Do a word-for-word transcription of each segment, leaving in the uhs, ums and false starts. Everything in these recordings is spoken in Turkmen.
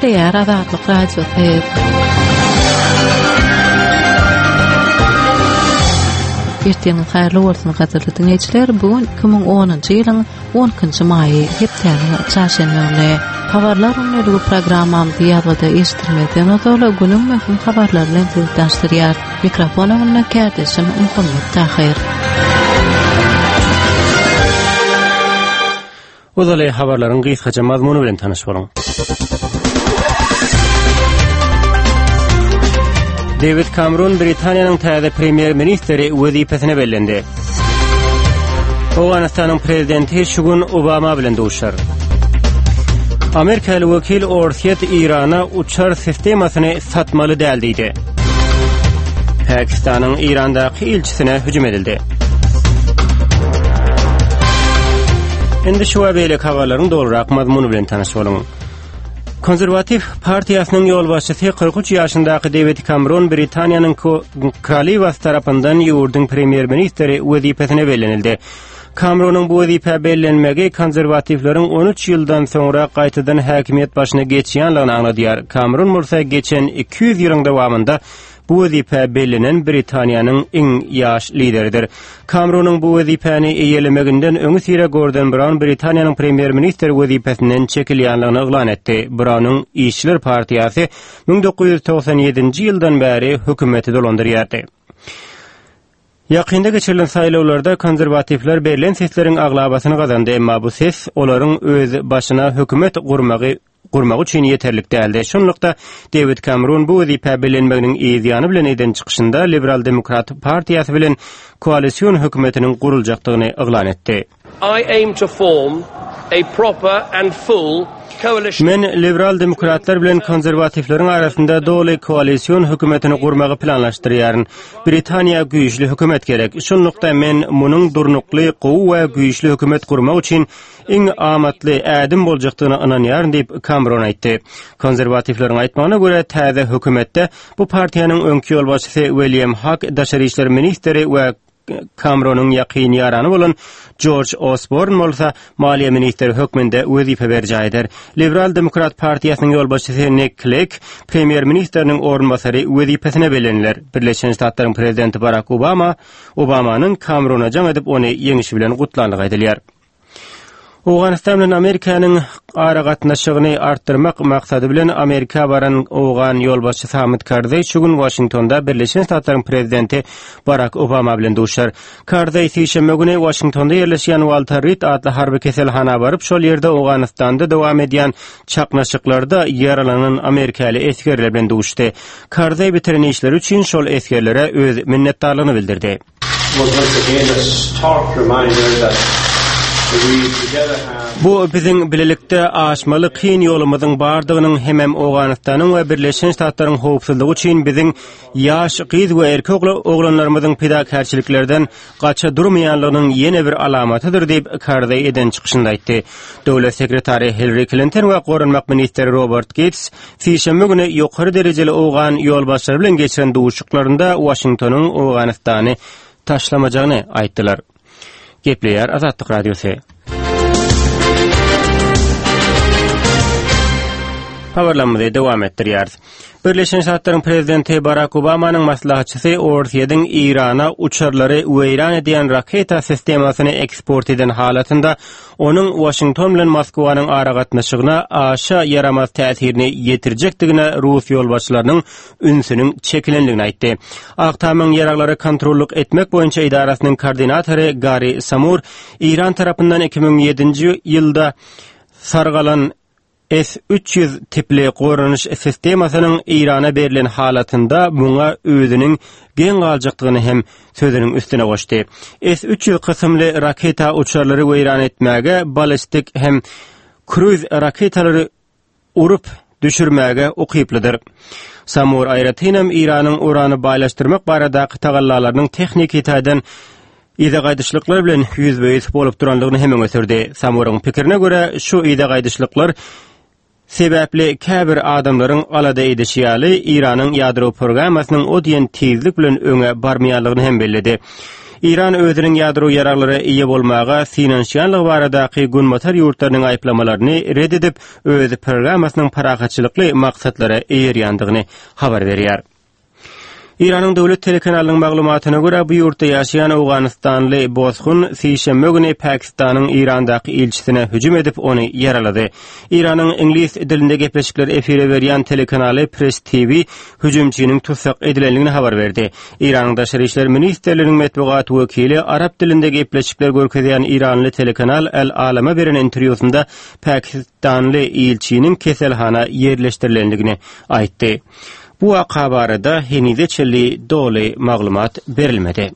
Gepleýär Azatlyk Radiosy. Ertiriňiz haýyrly bolsun gadyrly diňleýjiler. Bu gün iki müň onunjy ýylyň on ikinji maýy, hepdäniň çarşenbe güni. Habarlar gündeligi programmamyzy ýazgyda eşitdirmezden ozal günüň möhüm habarlary bilen sizi tanyşdyrýar. Mikrofon öňünde kärdeşim Muhammet Tahyr. Ozaly habarlaryň gysgaça mazmuny bilen tanyş boluň. Dewid Kamrun Britaniýanyň täze premýer-ministri wezipesine bellendi. Owganystanyň prezidenti şu gün Obama bilen duşar. Amerikaly wekil Orsýet Eýrana uçar sistemasyny satmaly däl diýdi. Pakistanyň Eýrandaky ilçisine hüjüm edildi. Indi şu we beýleki habarlaryň dolurak mazmuny bilen tanyş boluň. Konserwatiw partiýasynyň ýolbaşçysy kyrk üç ýaşyndaky Dewid Kamron Britaniýanyň Kraliwasy tarapyndan ýurduň premýer-ministri wezipesine bellenildi. Kamronyň bu wezipä bellenmegi konserwatiwleriň on üç ýyldan soňra gaýtadan häkimiýet başyna geçýänligini aňladýar. Kamron bolsa geçen iki ýüz ýylyň dowamynda bu wezipä bellenen Britaniýanyň iň ýaş lideridir. Kamronyň bu wezipäni eýelemeginden öňüsyra Gordon Brown Britaniýanyň premýer-ministri wezipesinden çekilýänligini yglan etdi. Brownyň Işçiler partiýasy müň dokuz ýüz togsan ýedinji ýyldan bäri hökümeti dolandyrýardy. Ýakynda geçirilen saýlawlarda konserwatiwler berlen sesleriň aglabasyny gazandy, emma bu ses olaryň öz başyna hökümet gurmagy gurmak üçin ýeterlik däldi. Şunlukda Dewid Kamrun bu wezipä bellenmeginiň yz ýany bilen eden çykyşynda Liberal Demokrat partiýasy bilen koalision hökümetiniň guruljakdygyny yglan etdi. I aim to form a proper and full coalition. Men Liberal Demokratlar bilen konserwatiwleriň arasynda doly koalision hökümetini gurmagy planlaşdyrýaryn. Britaniýa güýçli hökümet gerek. Şunlukda men munuň durnukly, gowy we güýçli hökümet gurmak üçin iň amatly ädim boljakdygyna ynanýaryn diýip, Kamron aýtdy. Konserwatiwleriň aýtmagyna görä, täze hökümetde bu partiýanyň öňki ýolbaşçysy William Hak daşary işler ministri we Kamronyň ýakyn ýarany bolan Jorj Osborn bolsa maliýe ministri hökmünde wezipe berjaý eder. Liberal Demokrat partiýasynyň ýolbaşçysy Nick Clegg premýer-ministriniň orunbasary wezipesine belleniler. Birleşen Ştatlaryň prezidenti Barak Obama Obamanyň Kamrona jaň edip ony ýeňişi bilen gutlandygy aýdylýar. Owganystan bilen Amerikanyň aragatnaşygyny artdyrmak maksady bilen Amerika baran owgan ýolbaşçysy Hamid Karzaý şu gün Waşingtonda Birleşen Ştatlaryň prezidenti Barak Obama bilen duşar. Karzaý sişenbe güni Waşingtonda ýerleşýän Walter Reed atly harby keselhana baryp, şol ýerde Owganystanda dowam edýän çaknyşyklarda ýaralanan amerikaly esgerler bilen duşdy. Karzaý bitiren işleri üçin şol esgerlere öz minnetdarlygyny bildirdi. Bu biziň bilelikde aşmaly kyn ýolumyzyň bardygynyň hemem Owganystanyň we Birleşen Ştatlaryň howpsuzlygy üçin biziň ýaş gyz we erkek oglanlarymyzyň pidakärçiliklerden gaça durmaýanlygynyň ýene bir alamatydyr diýip, Karzaý eden çykyşynda aýtdy. Döwlet sekretary Hillary Klinton we goranmak ministri Robert Geýts sişenbe güni ýokary derejeli owgan ýolbaşçylary bilen geçiren duşuşyklarynda Waşingtonyň Owganystany taşlamajagyny aýtdylar. Gepleýär Azatlyk Radiosy. Habarlarymyzy dowam etdirýäris. Birleşen Ştatlaryň prezidenti Barak Obamanyň maslahatçysy Orsýetiň Eýrana uçarlary weýran edýän raketa sistemasyny eksport eden halatynda onuň Waşington bilen Moskwanyň aragatnaşygyna aşa ýaramaz täsirini ýetirjekdigine rus ýolbaşçylarynyň ünsüniň çekilendigini aýtdy. Ak Tamyň ýaraglary kontrollyk etmek boýunça edarasynyň koordinatory Gary Samur Eýran tarapyndan iki müň ýedinji ýylda sargalan S üç ýüz tipli goranyş sistemasynyň Eýrana berlen halatynda muňa özüniň geň galjakdygyny hem sözüniň üstüne goşdy. S üç ýüz kysymly raketa uçarlary weýran etmäge, ballistik hem kruz raketalary urup düşürmäge ukyplydyr. Samur aýratynam Eýranyň urany baýlaşdyrmak baradaky tagallalarynyň tehniki taýdan yza gaýdyşlyklar bilen ýüzbe-ýüz bolup durandygyny hem öňe sürdi. Samuryň pikirine görä, şu yza gaýdyşlyklar sebäpli käbir adamlaryň alada edişi ýaly, Eýranyň ýadro programmasynyň o diýen tizlik bilen öňe barmaýanlygyny hem belledi. Eýran özüniň ýadro ýaraglara eýe bolmaga synanyşýanlygy baradaky Günbatar ýurtlarynyň aýyplamalaryny red edip, öz programmasynyň parahatçylykly maksatlara eýerýändigini habar berýär. Eýranyň döwlet telekanalynyň maglumatyna görä, bu ýurtda ýaşaýan Owganystanly bosgun sişenbe güni Pakistanyň Eýrandaky ilçisine hüjüm edip, ony ýaralady. Eýranyň iňlis dilinde gepleşikler efire berýän telekanaly Press T V hüjümçiniň tutsak edilendigini habar berdi. Eýranyň Daşary işler ministrliginiň metbugat wekili arap dilinde gepleşikler görkezýän Eýranly telekanal El Alama beren interwýusynda Pakistanly ilçiniň keselhana ýerleşdirilendigini aýtdy. Bu waka barada henize çenli doly maglumat berilmedi.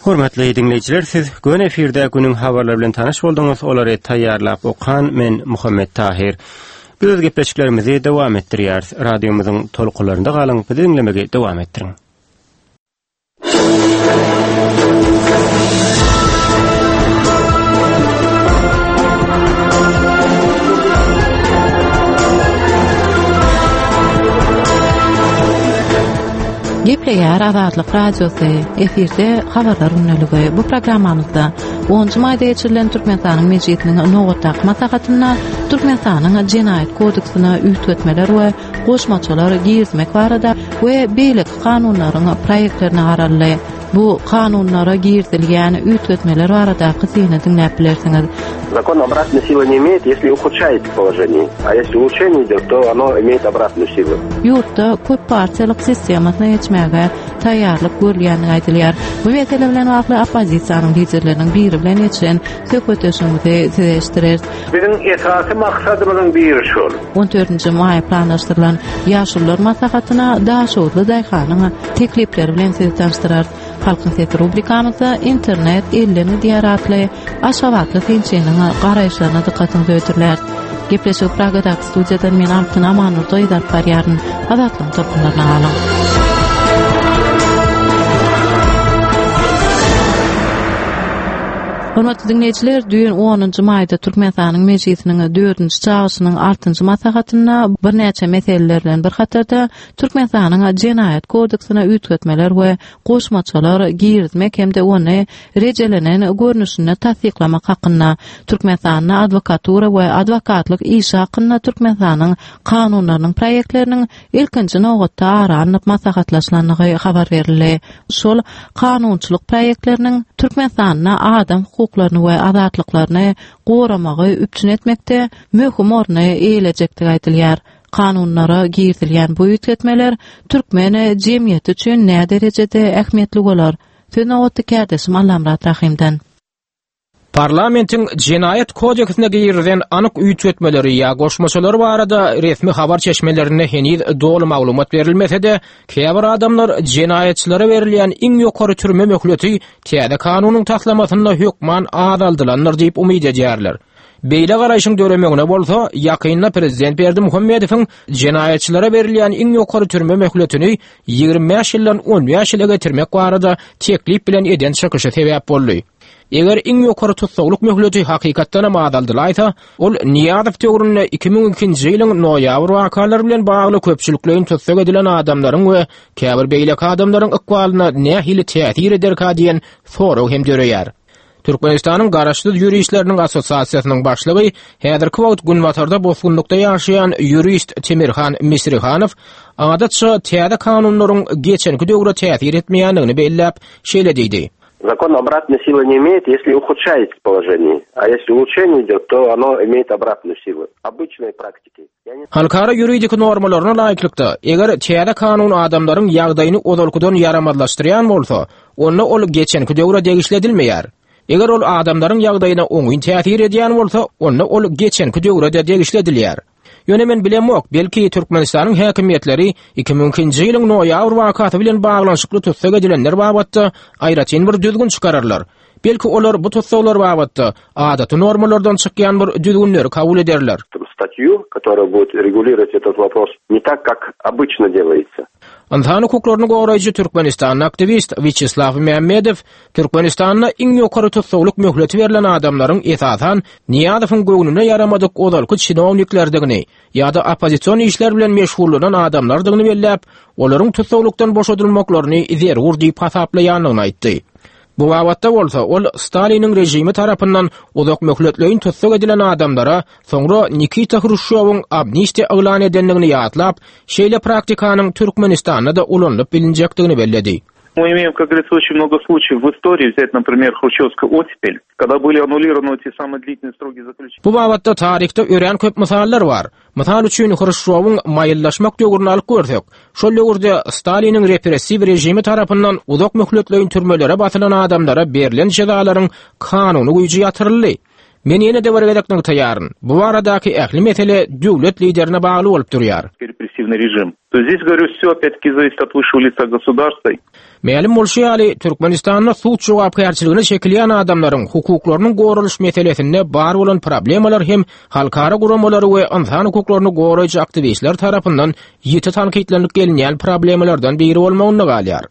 Hormatly dinleýjiler, siz göni efirde günüň habarlary bilen tanyş bolduňyz. Olary taýýarlap okan men Muhammet Tahir. Biz öz gepleşiklerimizi dowam etdirýäris. Radiomyzyň tolkunlarynda galyň, bizi diňlemegi dowam etdiriň. Gepleýär Azatlyk Radiosy, efirde habarlar gündeligi. Bu programmamyzda onunjy maýda geçirilen Türkmenistanyň Mejlisiniň nobatdaky maslahatynda Türkmenistanyň Jenaýat kodeksine üýtgetmeler we goşmaçalar girizmek barada we beýleki kanunlaryň proýektlerine garaldy. Bu kanunlara girizilýän üýtgetmeler baradaky syny diňläp bilersiňiz. Закон обратной силы не имеет, если ухудшает положение. А если улучшение идет, то оно имеет обратную силу. Ýurtda köp partiýalyk sistemasyna geçmäge taýýarlyk görülýändigi aýdylýar. Bu mesele bilen bagly oppozisiýanyň liderleriniň biri bilen geçiren söhbetdeşligimizi size eşitdireris. Biziň esasy maksadymyzyň biri şol. On dördünji maý planlaşdyrylan Ýaşulular maslahatyna Daşoguzly daýhanyň teklipleri bilen sizi tanyşdyrarys. Halkyň sesi rubrikamyzda internet elden gidýär atly Aşgabatly synçynyň garaýyşlaryna dykgatyňyzy ötürler. Gepleşik Pragadaky studiýadan men Altyn Amanurdy alyp barýaryn. Azatlygyň tolkunlaryna galyň. Hormatly dinleýjiler, düýn onunjy maýda Türkmenistanyň Mejlisiniň dördünji çagyryşynyň altynjy maslahatynda birnäçe meseleler bilen bir hatarda Türkmenistanyň Jenaýat kodeksine üýtgetmeler we goşmaçalar girizmek hem-de ony rejelenen görnüşinde tassyklamak hakynda, Türkmenistanda adwokatura we adwokatlyk işi hakynda Türkmenistanyň kanunlarynyň proýektleriniň ilkinji nobatda ara alnyp maslahatlaşylandygy habar berildi. Şol kanunçylyk proýektleriniň Türkmenistanda adam hukuklaryny we azatlyklaryny goramagy üpjün etmekde möhüm orny eýelejekdigi aýdylýar. Kanunlara girizilýän bu üýtgetmeler türkmen jemgyýeti üçin nä derejede ähmiýetli bolar? Söz nobatda kärdeşim Allamyrat Rahimden. Parlamentiň Jenaýat kodeksine girizilen anyk üýtgetmeleri ýa goşmaçalar barada resmi habar çeşmelerinde heniz doly maglumat berilmese-de, käbir adamlar jenaýatçylara berilýän iň ýokary türme möhleti täze kanunyň taslamasynda hökman azaldylandyr diýip umyt edýärler. Beýle garaýşyň döremegine bolsa, ýakynda prezident Berdimuhamedowyň jenaýatçylara berilýän iň ýokary türme möhletini ýigrimi bäş ýyldan on bäş ýyla getirmek barada teklip bilen eden çykyşy sebäp boldy. Eger iň ýokary tussaglyk möhleti hakykatdan hem azaldylaýsa, ol Niýazow döwründe iki müň ikinji ýylyň noýabr wakalary bilen bagly köpçülikleýin tussag edilen adamlaryň we käbir beýleki adamlaryň ykbalyna nähili täsir ederka diýen sorag hem döreýär. Türkmenistanyň Garaşsyz ýuristleriniň assosiasiýasynyň başlygy, häzirki wagt Günbatarda bosgunlykda ýaşaýan ýurist Temirhan Misrihanow adatça täze kanunlaryň geçenki döwre täsir etmeýändigini belläp, şeýle diýdi. Закон обратной силы не имеет, если ухудшает положение. А если улучшение идет, то оно имеет обратную силу. Обычной практики. Я не Halkara ýuridik normalaryna laýyklykda, eger täze kanun adamlaryň ýagdaýyny ozalkydan ýaramazlaşdyrýan bolsa, onda ol geçenki döwre degişli edilmeýär. Eger ol adamlaryň ýagdaýyna oňyn täsir edýän bolsa, onda ol geçenki döwre de degişli edilýär. Ýöne men bilemok, belki Türkmenistanyň häkimiýetleri iki müň ikinji ýylyň noýabr wakasy bilen baglanyşykly tussag edilenler babatda aýratyn bir düzgün çykararlar. Belki olar bu tussaglar babatda adaty normalardan çykýan bir düzgünleri kabul ederler. Статью, которая будет регулировать этот вопрос, не так, как обычно делается. Ynsan hukuklaryny goraýjy Türkmenistanly aktiwist Wiçeslaw Mämmedow Türkmenistanda iň ýokary tussaglyk möhleti berlen adamlaryň esasan Niýazowyň göwnüne ýaramadyk ozalky çinowniklerdigini ýa-da oppozision işler bilen meşgullanan adamlardygyny belläp, olaryň tussaglykdan boşadylmaklaryny zerur diýip hasaplaýandygyny aýtdy. Bu babatda bolsa ol Staliniň režimi tarapyndan uzak möhletleýin tussag edilen adamlara soňra Nikita Hruşýowyň amnistiýa yglan edendigini ýatlap, şeýle praktikanyň Türkmenistanda-da ulanylyp bilinjekdigini belledi. Мы имеем, как говорится, очень много случаев в истории, взять, например, Хрущевскую оттепель, когда были аннулированы те самые длительные сроки заключения. Bu babatda taryhda örän köp mysallar bar. Mysal üçin Hruşýowyň maýyllaşmak döwrüni alyp görsek, şol döwürde Staliniň repressiw režimi tarapyndan uzak möhletleýin türmelere basylan adamlara berlen jezalaryň kanuny güýji ýatyryldy. Men ýene-de bir gezek nygtaýaryn. Bu baradaky ähli mesele döwlet liderine bagly bolup durýar. Репрессивный режим. То есть здесь, говорю, все опять-таки зависит от высшего лица государства. Mälim bolşy ýaly, Türkmenistanda sud jogapkärçiligine çekilýän adamlaryň hukuklarynyň goralyş meselesinde bar bolan problemalar hem halkara guramalary we ynsan hukuklaryny goraýjy aktiwistler tarapyndan ýiti tankytlanlyp gelinýän problemalardan biri bolmagyna galýar.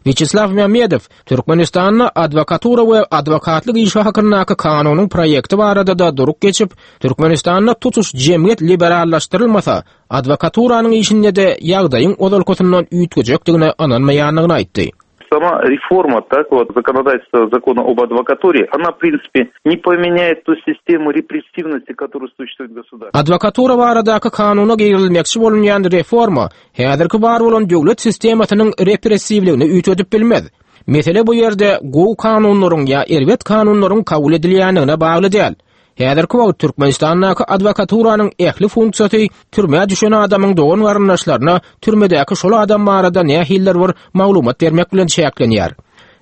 Wiçeslaw Mämmedow Türkmenistanda adwokatura we adwokatlyk işi hakyndaky kanunyň proýekti barada da durup geçip, Türkmenistanda tutuş jemgyýet liberallaşdyrylmasa, adwokaturanyň işinde de ýagdaýyň ozalkysyndan üýtgejekdigine ynanmaýandygyny aýtdy. Сама реформа, так вот, законодательства закона об адвокатуре, она, в принципе, не поменяет ту систему репрессивности, которая существует в государстве. Adwokatura baradaky kanuna girilmekçi bolunýan reforma häzirki bar bolan döwlet sistemasynyň repressiwligini üýtgedip bilmez. Mesele bu ýerde gowy kanunlaryň ýa erbet kanunlaryň kabul edilýändigine bagly däl. Häzirki wagt Türkmenistandaky adwokaturanyň ähli funksiýasy türmä düşen adamyň dogan garyndaşlaryna türmedäki şol adam barada nähiller bir maglumat bermek bilen çäklenýär.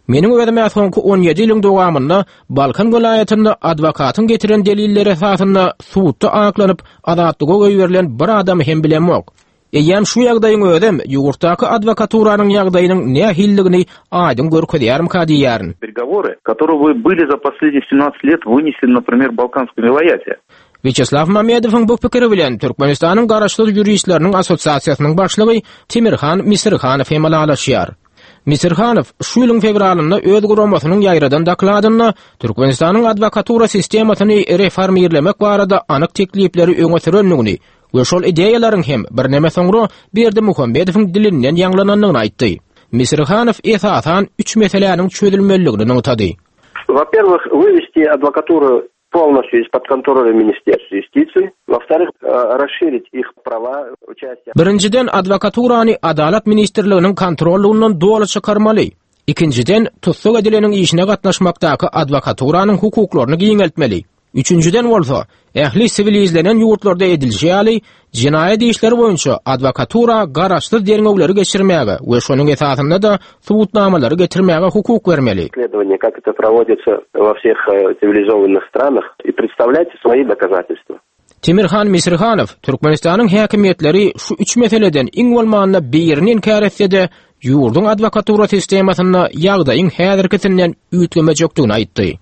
Meniň özüme soňky on ýedi ýylyň dowamynda Balkan welaýatynda adwokatyň getiren delilleri esasynda sudda aklanyp azatlyga goýberilen bir adam hem bilemok. Eýem şu ýagdaýyň özem ýurtdaky adwokaturanyň ýagdaýynyň nähilligini aýdyň görkezýärmika diýýärin. Переговоры, которые вы были за последние семнадцать лет вынесены, например, в Балканском вилаяте. Wiçeslaw Mämmedowyň bu pikiri bilen Türkmenistanyň Garaşsyz ýuristleriniň assosiasiýasynyň başlygy Timirhan Misirhanow hem ylalaşýar. Misirhanow şu ýylyň fewralynda öz guramasynyň ýaýradan dokladynda Türkmenistanyň adwokatura sistemasyny reformirlemek barada anyk teklipleri öňe sürendigini we şol ideýalaryň hem birneme soňra Berdimuhamedowyň dilinden ýaňlanandygyny aýtdy. Misirhanow esasan üç meseläniň çözülmeliligini nygtady. Во-первых, вывести адвокатуру полностью из-под контроля Министерства юстиции. Во-вторых, э, расширить их права участия. Birinjiden adwokaturany Adalat ministrliginiň kontrollugyndan doly çykarmaly. Ikinjiden tussag edileniň işine gatnaşmakdaky adwokaturanyň hukuklaryny giňeltmeli. Üçünjiden bolsa, ähli siwilizlenen ýurtlarda edilişi ýaly, jenaýat işleri boýunça adwokatura garaşsyz derňewleri geçirmäge we şonuň esasynda da subutnamalary getirmäge hukuk bermeli. Исследование, как это проводится во всех, э, цивилизованных странах, и представлять свои доказательства. Timirhan Misirhanow Türkmenistanyň häkimiýetleri şu üç meseleden iň bolmanda birini inkär etse-de, ýurduň adwokatura sistemasynda ýagdaýyň häzirkisinden üýtgemejekdigini aýtdy.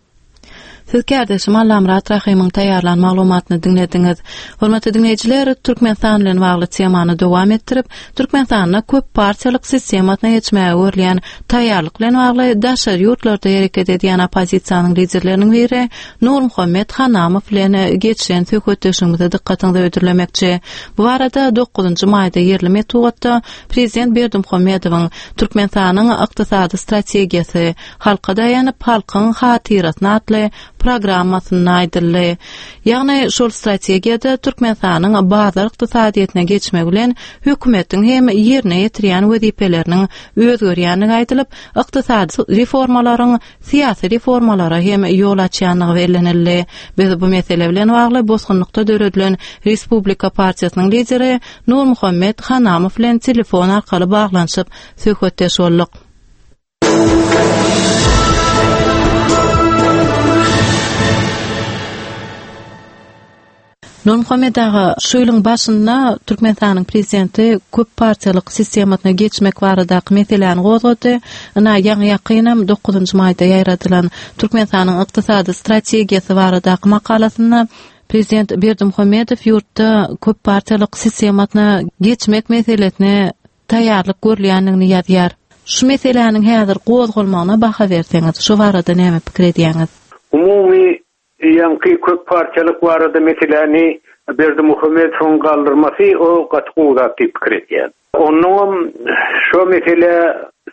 Siz kärdeşim Allamyrat Rahymyň taýýarlan maglumatyny diňlediňiz. Hormatly diňleýjiler, Türkmenistan bilen bagly temany dowam etdirip, Türkmenistanda köp partiýalyk sistemasyna geçmäge görülýän taýýarlyk bilen bagly daşary ýurtlarda hereket edýän oppozisiýanyň liderleriniň biri Nurmuhammet Hanamow bilen geçen söhbetdeşligimize dykgatyňyzy ödürlemekçi. Bu barada dokuzynjy maýda ýerli metbugatda Prezident Berdimuhamedowyň Türkmenistanyň ykdysady strategiýasy halka daýanyp halkyň hatyrasyna atly programmasynda aýdyldy. Ýagny şol strategiýada Türkmenistanyň bazar ykdysadyýetine geçmek bilen hökümetiň hem ýerine ýetirýän wezipeleriniň özgerýänligi aýdylyp, ykdysady reformalaryň syýasy reformalara hem ýol açýanlygy bellenildi. Biz bu mesele bilen bagly bosgunlykda döredilen Respublika partiýasynyň lideri Nurmuhammet Hanamow bilen telefon arkaly baglanyşyp söhbetdeş bolduk. Nurmuhammet aga, şu ýylyň başynda Türkmenistanyň prezidenti köp partiýalyk sistemasyna geçmek baradaky meseläni gozgady. Ina ýaňy ýakynam dokuzynjy maýda ýaýradylan Türkmenistanyň ykdysady strategiýasy baradaky makalasynda Prezident Berdimuhamedow ýurtda köp partiýalyk sistemasyna geçmek meselesine taýýarlyk görülýändigini ýazýar. Şu meseläniň häzir gozgalmagyna baha berseňiz, şu barada näme pikir edýäňiz? Umumy ýaňky köp partiýalyk barada meseläni Berdimuhamedowyň galdyrmasy o gaty gowy zat diýip pikir edýän. Onnoňam şu mesele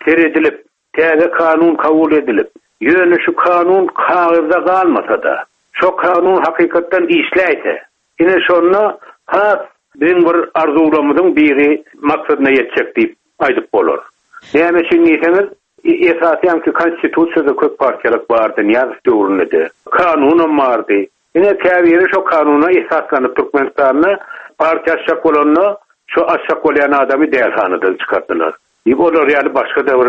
seredilip, täze kanun kabul edilip, ýöne şu kanun kagyzda galmasa-da, şu kanun hakykatdan işläýse, ine şonda has biziň bir arzuwlarymyzyň biri maksadyna ýetjek diýip aýdyp bolar. Näme üçin diýseňiz, esasy ýaňky konstitusiýada köp partiýalyk bardy, Nyýazow döwründe-de. Kanunam bardy. Ine käbiri şo kanuna esaslanyp Türkmenistanda partiýa açjak bolanda şo açjak bolýan adamy dälhanadan çykardylar. Diýip olar ýaly başga-da bir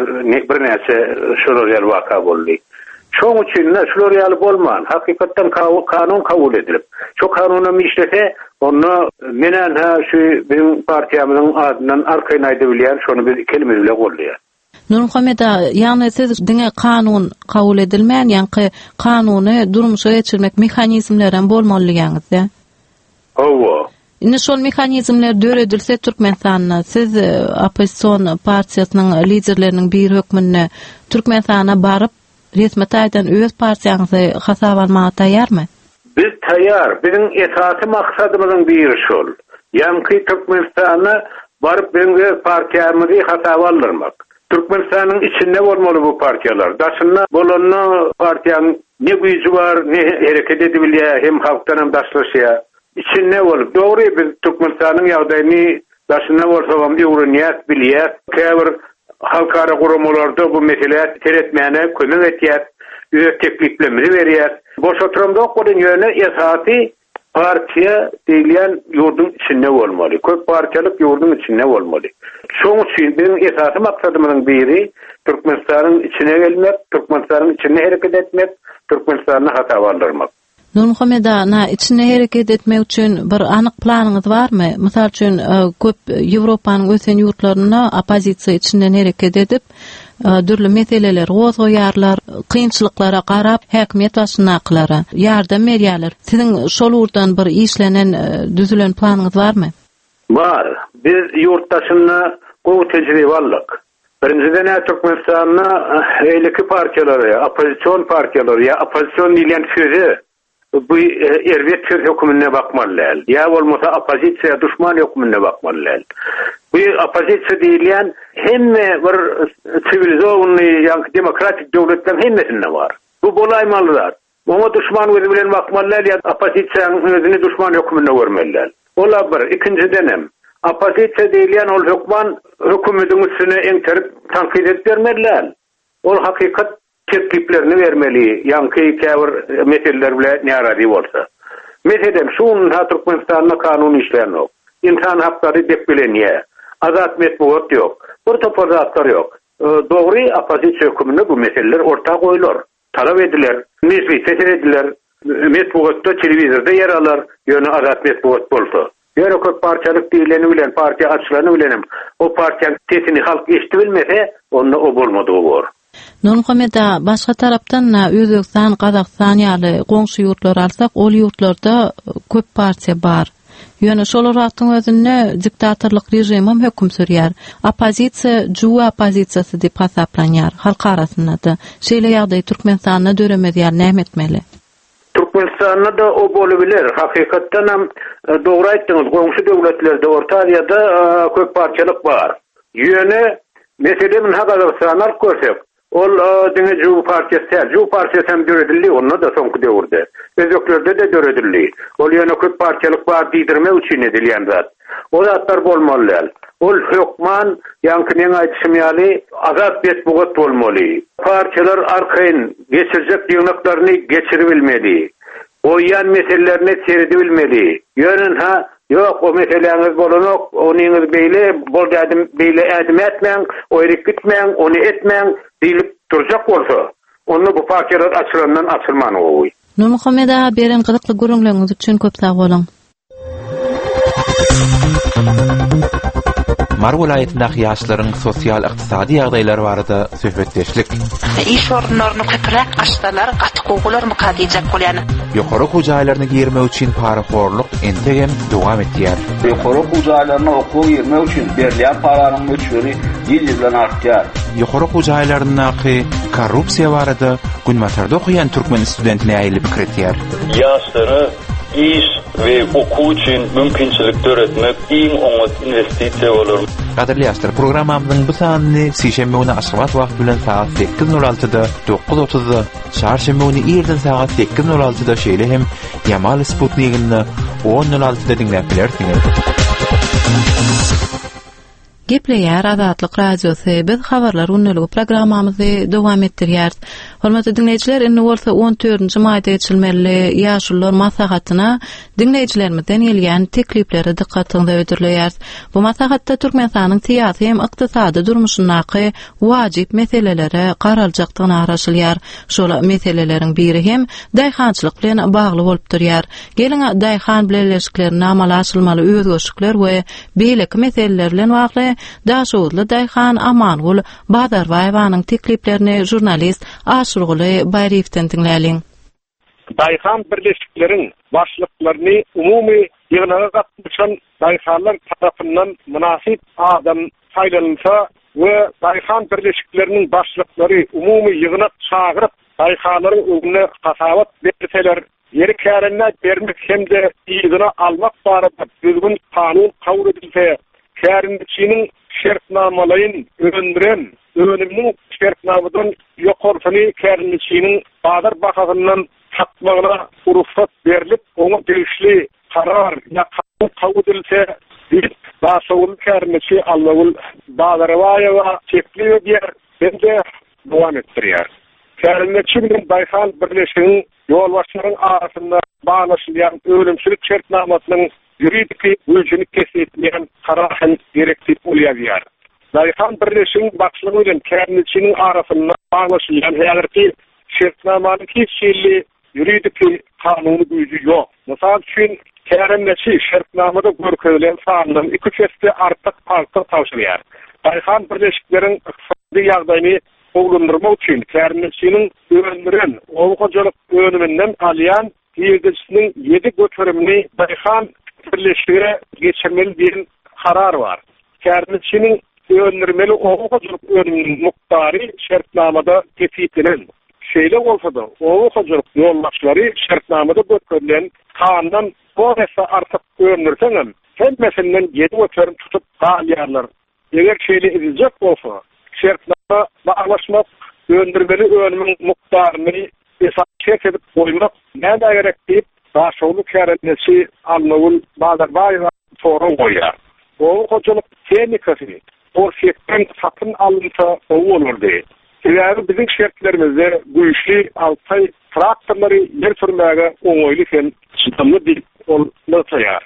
birnäçe şolar ýaly waka boldy. Şoň üçin de şular ýaly bolman, hakykatdan kanun kabul edilip, şo kanunam işlese, onda menen ha şu biziň partiýamyzyň adyndan arkaýyn aýdyp bilýän, şony biz iki elimiz bile goldaýar. Nurmuhammet aga, ýagny siz diňe kanun kabul edilmän, ýaňky kanuny durmuşa geçirmek mehanizmleri hem bolmaly diýýäňiz-de? Hawa. Indi şol mehanizmler döredilse Türkmenistanda, siz e, oppozision partiýasynyň liderleriniň biri hökmünde Türkmenistana baryp resmi taýdan öz partiýaňyzy hasap almaga taýýarmy? Biz taýýar. Biziň esasy maksadymyzyň biri şol. Ýaňky Türkmenistana baryp biziň öz partiýamyzy hasaba aldyrmak. Türkmenistanyň içinde bolmaly bu partiýalar. Daşynda bolanda partiýanyň ne güýji bar, ne hereket edibilýär, hem halkdan hem daşlaşýar. Içinde bolup, dogry biz Türkmenistanyň ýagdaýyny daşynda bolsagam öwrenýäs, bilýäs. Käbir halkara guramalarda bu meselä seretmäne kömek etýär, öz tekliplerimizi berýär. Boş oturamzok bolun ýöne esasy partiýa diýilýän ýurduň içinde bolmaly. Köp partiýalyk ýurduň içinde bolmaly. Şoň üçin biziň esasy maksadymyzyň biri Türkmenistanyň içine gelmek, Türkmenistanyň içinde hereket etmek, Türkmenistany hasaba aldyrmak. Nurmuhammet aga, na içinde hereket etmek üçin bir anyk planyňyz barmy? Mysal üçin, e, köp Ýewropanyň ösen ýurtlarynda oppozisiýa içinden hereket edip, e, dürli meseleler gozgaýarlar, kynçylyklara garap häkimiýet başyndakylara ýardam berýärler. Siziň şol ugurdan bir işlenen, e, düzülen planyňyz barmy? Bar. Biz ýurt daşynda gowy tejribe aldyk. Birinjiden Türkmenistanda eýleki partiýalary, oppozision partiýalary ýa oppozision diýlen sözi bu erbet söz hökmünde bakmaly däl. Ýa bolmasa oppozisiýa duşman hökmünde bakmaly däl. Bu oppozisiýa diýilýän hemme bir siwilizowny, ýagny demokratik döwletleriň hemmesinde bar. Bu bolaýmaly zat. Oňa duşman gözi bilen bakmaly däl ýa oppozisiýanyň özüni duşman hökmünde görmeli däl. Ola bir, ikinjiden hem oppozisiýa diýilýän ol hökman hökümetiň üstüne eňterip tankyt edip bermeli däl. Ol hakykat tekliplerini bermeli, ýaňky käbir meseleler bilen närazy bolsa. Meselem, şu gün Türkmenistanda kanun işlän ýok. Insan haklary depbelenýär. Azat metbugat ýok. Bir topar zatlar ýok. Dogry oppozisiýa höküminde bu meseleler orta goýular. Talap ediler, mejlisde serediler, metbugatda, telewizorda ýer alar, ýöne azat metbugat bolsa. Ýöne köp partiýalyk diýileni bilen, partiýa açylany bilenem, o partiýanyň sesini halk eşitip bilmese, onda o bolmadygy bor. Nurmuhammet aga, başga tarapdan Özbegistan, Gazagystan ýaly goňşy ýurtlar alsak, ol ýurtlarda köp partiýa bar. Ýöne şol wagtyň özünde diktatorlyk režimi hem höküm sürýär. Oppozisiýa juwa oppozisiýasy diýip hasaplanýar halk arasynda-da. Şeýle ýagdaý Türkmenistanda döremez ýaly näme etmeli? Türkmenistanda da o bolubiler. Hakykatdan hem dogry aýtdyňyz, goňşy döwletlerde, Orta Aziýada köp partiýalyk bar. Ýöne meselem Gazagystany alyp görsek, ol diňe Juw partiýasy däl. Juw partiýasy hem döredildi, onda da soňky döwürde. Özbeklerde de döredildi. Ol ýöne köp partiýalyk bar diýdirmek üçin edilýän zat. O zatlar bolmaly däl. Ol hökman, ýaňky meň aýdyşym ýaly, azat metbugat bolmaly. Partiýalar arkaýyn geçirjek ýygnaklaryny geçiribilmeli. Goýýan meselelerini seredibilmeli. Ýöne ha, ýok, o meseläňiz bolanok, onyňyz beýle, bol dädim, beýle ädim etmäň, oýryk gitmäň, ony etmäň diýlip durjak bolsa, onda bu partiýalar açylandan açylman gowy. Nurmuhammet aga, beren gyzykly gürrüňleriňiz üçin köp sag boluň. Mary welaýatyndaky ýaşlaryň sosial-ykdysady ýagdaýlary barada söhbetdeşlik. Iş orunlaryny köpräk açsalar gaty gowy bolarmyka diýjek bolýan. Ýokary okuw jaýlaryna girmek üçin parahorluk entegem dowam etýär. Ýokary okuw jaýlaryna okuwa girmek üçin berilýän paranyň möçberi ýyl-ýyldan artýar. Ýokary okuw jaýlaryndaky korrupsiýa barada Günbatarda okaýan türkmen studenti nähili pikir etýär? Ýaşlara iş we okuw üçin mümkinçilik döretmek iň oňat investisiýa bolar. Gadyrly ýaşlar, programmamyzyň bu sanyny sişenbe güni Aşgabat wagty bilen sagat sekiz nol altyda, dokuz otuzda, çarşenbe güni irden sagat sekiz nol altyda, şeýle hem Ýamal Sputniginde on nol altyda diňläp bilersiňiz. Gepleýär Azatlyk Radiosy. Biz habarlar gündeligi programmamyzy dowam etdirýäris. Hormatly diňleýjiler, indi bolsa on dördünji maýda geçirilmeli ýaşulular maslahatyna diňleýjilerimizden gelýän teklipleri dykgatyňyza hödürleýäris. Bu maslahatda Türkmenistanyň syýasy hem ykdysady durmuşyndaky wajyp meselelere garaljakdygyna garaşylýar. Şol meseleleriň biri hem daýhançylyk bilen bagly bolup durýar. Geliň daýhan bileleşiklerine amala aşyrylmaly özgerişlikler we beýleki meseleler bilen bagly Daşoguzly daýhan Amangül Bazarbaýewanyň tekliplerini žurnalist Aşurguly Baýryýewden diňläliň. Daýhan birleşikleriň başlyklaryny umumy ýygnaga gatnaşan daýhanlar tarapyndan mynasyp adam saýlanylsa we daýhan birleşikleriniň başlyklary umumy ýygnak çagyryp daýhanlaryň öňüne hasabat berseler, ýeri kärende bermek hem-de yzyna almak barada düzgün kanun kabul edilse, kärendeçiniň şertnamalaýyn öndüren önüminiň şertnamadan ýokarsyny kärendeçiniň bazar bahasyndan satmagyna rugsat berilip, oňa degişli karar ýa kanun kabul edilse, diýip Daşoguzly kärendeçi Allagül Bazarbaýewa teklip edýär hem-de dowam etdirýär. Kärendeçi bilen daýhan birleşiginiň ýolbaşçylaryň arasynda baglaşylýan önümçilik şertnamasynyň ýuridiki güýjüni kesgitleýän karar hem gerek diýip ol ýazýar. Daýhan birleşiginiň başlygy bilen kärendeçiniň arasynda baglaşylýan häzirki şertnamanyň hiç hili ýuridiki kanuny güýji ýok. Mysal üçin, kärendeçi şertnamada görkezilen sandan iki esse artyk pagta tabşyrýar. Daýhan birleşikleriň ykdysady ýagdaýyny gowulandyrmak üçin kärendeçiniň öndüren oba hojalyk önüminden alýan girdejisiniň ýedi göterimini daýhan birleşige geçirmeli diýen karar bar. Kärendeçiniň öndürmeli oba hojalyk önüminiň mukdary şertnamada kesgitlenen. Şeýle bolsa-da, oba hojalyk ýolbaşçylary şertnamada görkezilen sandan on esse artyk öndürseňem, hemmesinden ýedi göterim tutup galýarlar. Eger şeýle ediljek bolsa, şertnama baglaşmak, öndürmeli önümiň mukdaryny esas şert edip goýmak näme gerek diýip, Daşoguzly kärendeçi Allagül Bazarbaýewa sorag goýýar. Oba hojalyk tehnikasy Orsýetden satyn alynsa gowy bolardy. Sebäbi biziň şertlerimizde güýçli Altaý traktorlary ýer sürmäge oňaýly hem çydamly diýip ol nygtaýar.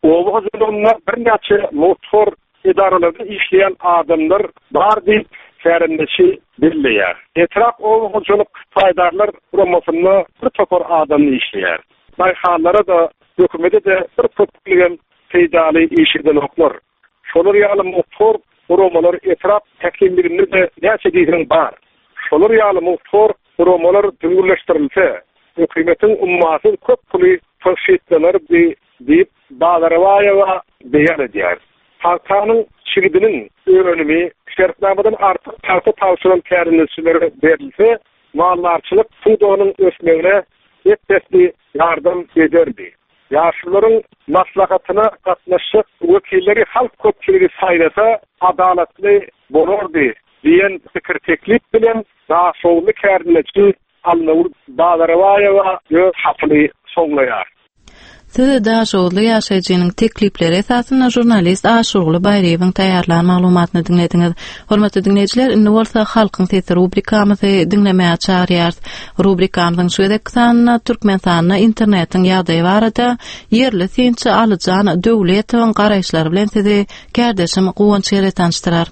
Oba hojalygynda birnäçe motor edaralarda işleýän adamlar bar diýip kärendeçi belleýär. Etrap oba hojalyk paýdarlar guramasynda bir topar adam işleýär. Daýhanlara da hökümete de bir köplügem peýdaly iş edenoklar. Şolar ýaly motor guramalar etrap häkimliginde de näçe diýseň bar. Şolar ýaly motor guramalar düzgünleşdirilse, hökümetiň ummasyz köp puly tygşytlanar diýip Bazarbaýewa beýan edýär. Pagtanyň çigidiniň önümi şertnamadan artyk pagta tabşyran kärendeçilere berilse, maldarçylyk pudagynyň ösmegine ep-esli ýardam ederdi. Ýaşlylaryň maslahatyna gatnaşyk wekilleri halk köpçüligi saýlasa adalatly bolardy diýen pikir teklip bilen Daşoguzly kärendeçi Allagül Bazarbaýewa öz hatyny soňlaýar. Siz Daşoguzly ýaşaýjynyň teklipleri esasynda žurnalist Aşurguly Baýryýewiň taýýarlan maglumatyny diňlediňiz. Hormatly diňleýjiler, indi bolsa Halkyň sesi rubrikamyzy diňlemäge çagyrýarys. Rubrikamyzyň şu gezekki sanynda Türkmenistanda internetiň ýagdaýy barada ýerli synçy Alyjan Döwletowyň garaýyşlary bilen sizi kärdeşim Guwanç Ýere tanyşdyrar.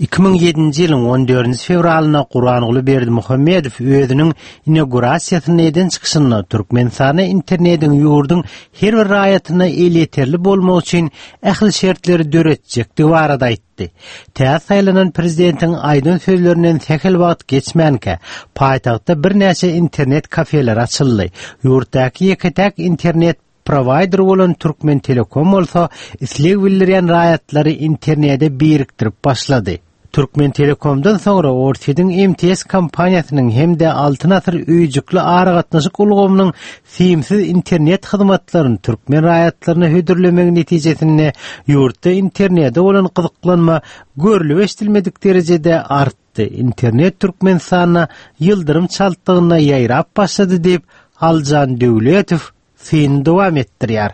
Iki müň ýedinji ýylyň on dördünji fewralynda Gurbanguly Berdimuhamedow özüniň inaugurasiýasynda eden çykyşynda Türkmenistanda internetiň ýurduň her bir raýatyna elýeterli bolmagy üçin ähli şertleri döretjekdigi barada aýtdy. Täze saýlanan prezidentiň aýdan sözlerinden sähel wagt geçmänkä, paýtagtda birnäçe internet kafeler açyldy. Ýurtdaky ýeke-täk internet provider bolan Türkmen Telekom bolsa isleg bildirýän raýatlary internete birikdirip başlady. Türkmen Telekomdan soňra Orsýetiň M T S kompaniýasynyň hem-de Altyn Asyr öýjükli aragatnaşyk ulgamynyň simsiz internet hyzmatlaryny türkmen raýatlaryna hödürlemegi netijesinde ýurtda internete bolan gyzyklanma görlüp eşidilmedik derejede artdy. Internet Türkmenistanda ýyldyrym çaltlygynda ýaýrap başlady diýip Aljan Döwletow syny dowam etdirýär.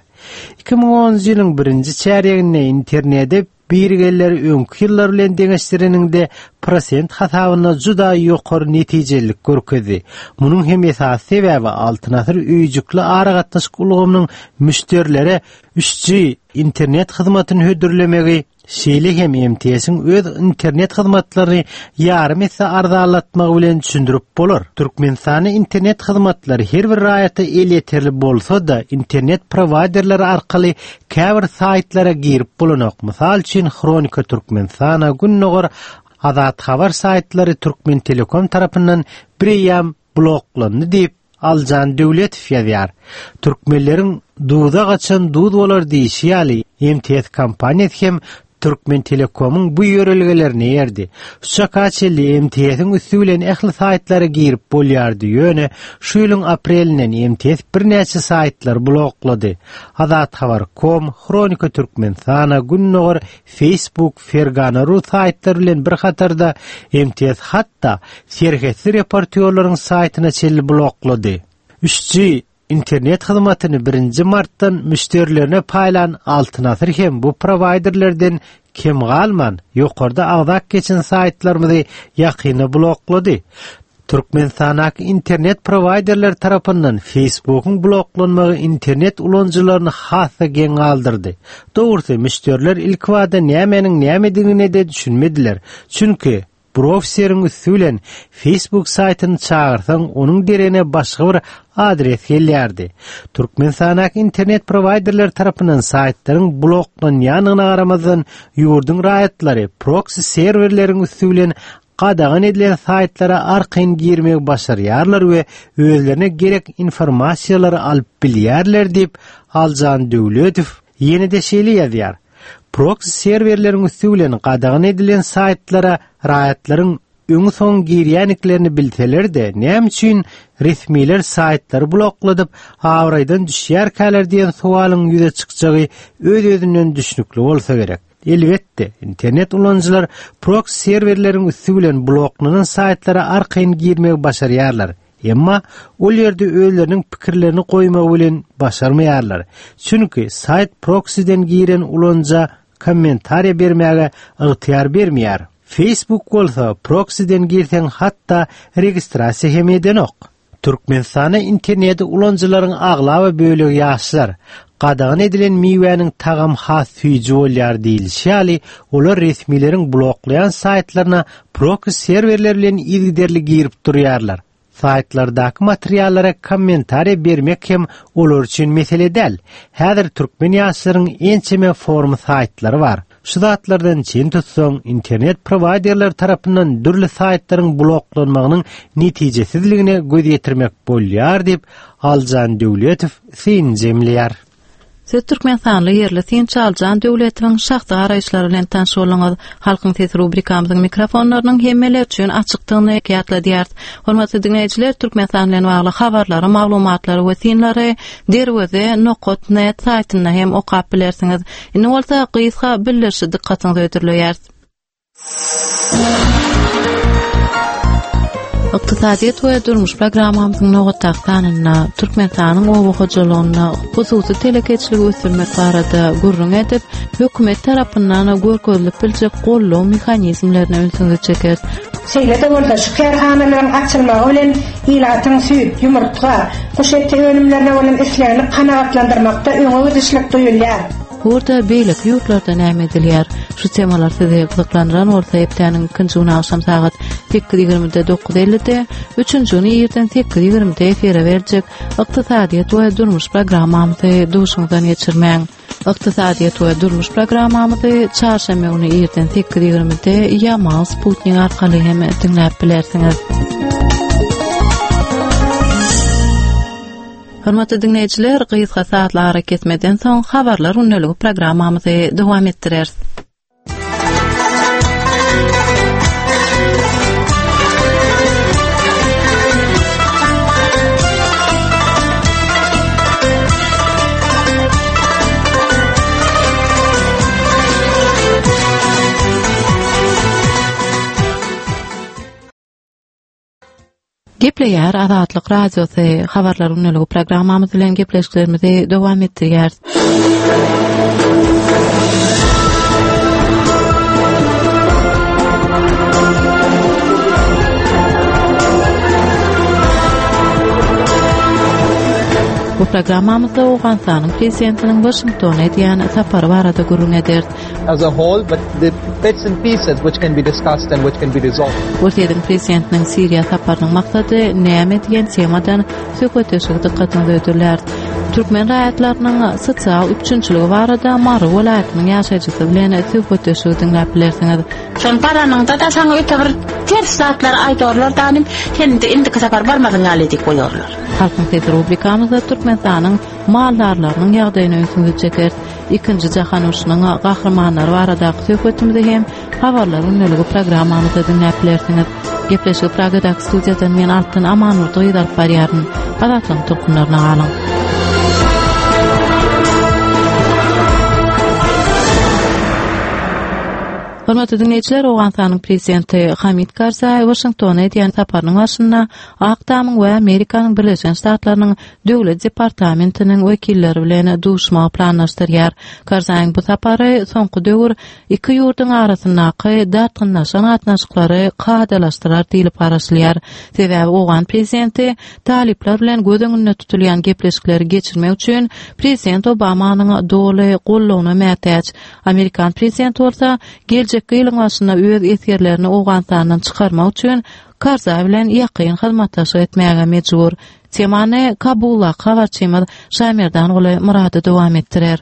Iki müň onunjy ýylyň birinji çärýeginde internete birgeller öňki ýyllar bilen deňeşdireninde prosent hasabyna juda ýokary netijelilik görkezdi. Munuň hem esasy sebäbi Altyn Asyr öýjükli aragatnaşyk ulgamynyň müşderilere üç G internet hyzmatyny hödürlemegi, şeýle hem M T S-iň öz internet hyzmatlaryny ýarym esse arzanlatmagy bilen düşündirip bolar. Türkmenistanda internet hyzmatlary her bir raýata elýeterli bolsa-da, internet providerleri arkaly käbir saýtlara girip bolanok. Mysal üçin Hronika Türkmenistana, Gündogar, Azat Habar saýtlary Türkmen Telekom tarapyndan bireýam bloklandy diýip Aljan Döwletow ýazýar. Türkmenleriň duza gaçan duz bolar diýişi ýaly M T S kompaniýasy hem Türkmen Telekomyň bu ýörelgelerini erdi. Şu çaka çenli M T S-iň üstü bilen ähli saýtlara girip bolýardy. Ýöne şu ýylyň aprelinden M T S birnäçe saýtlary bloklady. Azat Habar kom, Hronika Türkmenistana, Gündogar, Facebook, Fergana ru saýtlary bilen bir hatarda M T S hatda serhetli reportýorlaryň saýtyna çenli bloklady. üç G internet hyzmatyny birinji martdan müşderilerine paýlan Altyn Asyr hem bu providerlerden kem galman, ýokarda agzak geçen saýtlarymyzy ýakyna bloklady. Türkmenistandaky internet providerler tarapyndan Facebookyň bloklanmagy internet ulanyjylaryny has-da geň galdyrdy. Dogrusu, müşderiler ilk wada nämäniň nämedigine de düşünmediler. Çünki browseriň üstü bilen Facebook saýtyny çagyrsaň, onuň deregine başga bir adres gelýärdi. Türkmenistandaky internet providerler tarapyndan saýtlaryň bloklanýandygyna garamazdan, ýurduň raýatlary proxy serwerleriň üstü bilen gadagan edilen saýtlara arkaýyn girmegi başarýarlar we özlerine gerek informasiýalary alyp bilýärler diýip Aljan Döwletow ýene-de şeýle ýazýar. Proxy serwerleriň üstü bilen gadagan edilen saýtlara raýatlaryň öňi soň girýäniklerini bilseler-de, näme üçin resmiler saýtlary blokladyp, abraýdan düşýärkäler diýen sowalyň ýüze çykjagy öz-özünden düşnükli bolsa gerek. Elbetde, internet ulanyjylar proxy serwerleriň üstü bilen bloklanan saýtlara arkaýyn girmegi başarýarlar. Emma ol ýerde özleriniň pikirlerini goýmagy bilen başarmaýarlar. Çünki saýt proxyden giren ulanyja kommentariýa bermäge ygtyýar bermeýär. Facebook bolsa proxyden girseň hatda registrasiýa hem edenok. Türkmenistanda interneti ulanyjylaryň aglaba bölegi ýaşlar. Gadagan edilen miwäniň tagam has süýji bolýar diýilişi ýaly, olar resmileriň bloklaýan saýtlaryna proxy serwerler bilen yzygiderli girip durýarlar. Saýtlardaky materiallara kommentariýa bermek hem olar üçin mesele däl. Häzir türkmen ýaşlaryň ençeme forum saýtlary bar. Şu zatlardan çen tutsaň, internet providerler tarapyndan dürli saýtlaryň bloklanmagynyň netijesizligine göz ýetirmek bolýar diýip Aljan Döwletow syn jemleýär. Siz Türkmenistanly ýerli synçy Aljan Döwletowyň şahsy garaýyşlary bilen tanyş bolduňyz. Halkyň sesi rubrikamyzyň mikrofonlarynyň hemmeler üçin açykdygyny ýatladýarys. Hormatly diňleýjiler, Türkmenistan bilen bagly habarlary, maglumatlary we synlary derweze nokta net saýtynda hem okap bilersiňiz. Indi bolsa gysga bildirişi dykgatyňyza hödürleýäris. Ykdysadyýet we durmuş programmamyzyň nobatdaky sanynda Türkmenistanyň oba hojalygynda hususy telekeçiligi ösdürmek barada gürrüň edip, hökümet tarapyndan görkezilip biljek goldaw mehanizmlerine ünsüňizi çekeris. Şeýle-de bolsa şu kärhanalaryň açylmagy bilen ilatyň süýt, ýumurtga, guş eti önümlerine bolan islegini kanagatlandyrmakda öňe gidişlik duýulýar. Burada beýleki ýurtlarda näme edilýär? Şu temalar sizi gyzyklandyran bolsa hepdäniň ikinji güni agşam sagat sekiz ýigrimide dokuz ellide, üçünji güni irden sekiz ýigrimide efire berjek ykdysadyýet we durmuş programmamyzy duşuňyzdan geçirmäň. Ykdysadyýet we durmuş programmamyzy çarşenbe güni irden sekiz ýigrimide Ýamal Sputnik arkaly hem diňläp bilersiňiz. Hormatly diňleýjiler, gysga saatly ara kesmeden soň habarlar gündeligi programmamyzy dowam etdireris. Gepleýär Azatlyk Radiosy habarlar gündeligi programmamyz bilen gepleşiklerimizi dowam etdirýäris. Bu programmamyzda Owganystanyň prezidentiniň Waşingtona edýän sapary barada gürrüň ederis. As a whole, but the bits and pieces which can be discussed and which can be resolved. Orsýetiň prezidentiniň Siriýa saparynyň maksady näme diýen temadan söhbetdeşlik dykgatyňyza hödürläris. Türkmen raýatlarynyň sosial üpjünçiligi barada Mary welaýatynyň ýaşaýjysy bilen söhbetdeşligi diňläp bilersiňiz. Şol baranyňda da saňa öte bir ters zatlar aýdarlar danym, sen de indiki sapar barmadyň ýaly diýip goýarlar. Halkyň sesi rubrikamyzda Türkmenistanyň maldarlarynyň ýagdaýyny ünsüňizi çekeris. Ikinji jahan urşunyň gahrymanlary baradaky söhbetimizi hem habarlar gündeligi programmamyzda diňläp bilersiňiz. Gepleşigi Pragadaky studiýadan men Altyn Amanurdy gyz alyp barýaryn. Azatlygyň tolkunlaryna galyň. Hormatly dinleýjiler, Owganystanyň prezidenti Hamid Karzaý Waşingtona edýän saparynyň başynda Ak Tamyň we Amerikanyň Birleşen Ştatlarynyň Döwlet departamentiniň wekilleri bilen duşmagy planlaşdyrýar. Karzaýyň bu sapary soňky döwür iki ýurduň arasyndaky dartgynlaşan gatnaşyklary kadalaşdyrar diýlip garaşylýar. Sebäbi owgan prezidenti talyplar bilen göz öňünde tutulýan gepleşikleri geçirmek üçin prezident Obamanyň doly goldawyna mätäç. Amerikan prezidenti bolsa geljekki ýylyň başynda öz esgerlerini Owganystandan çykarmak üçin Karzaý bilen ýakyn hyzmatdaşlyk etmäge mejbur. Temany Kabuldaky habarçymyz Şamerdanguly Myrady dowam etdirer.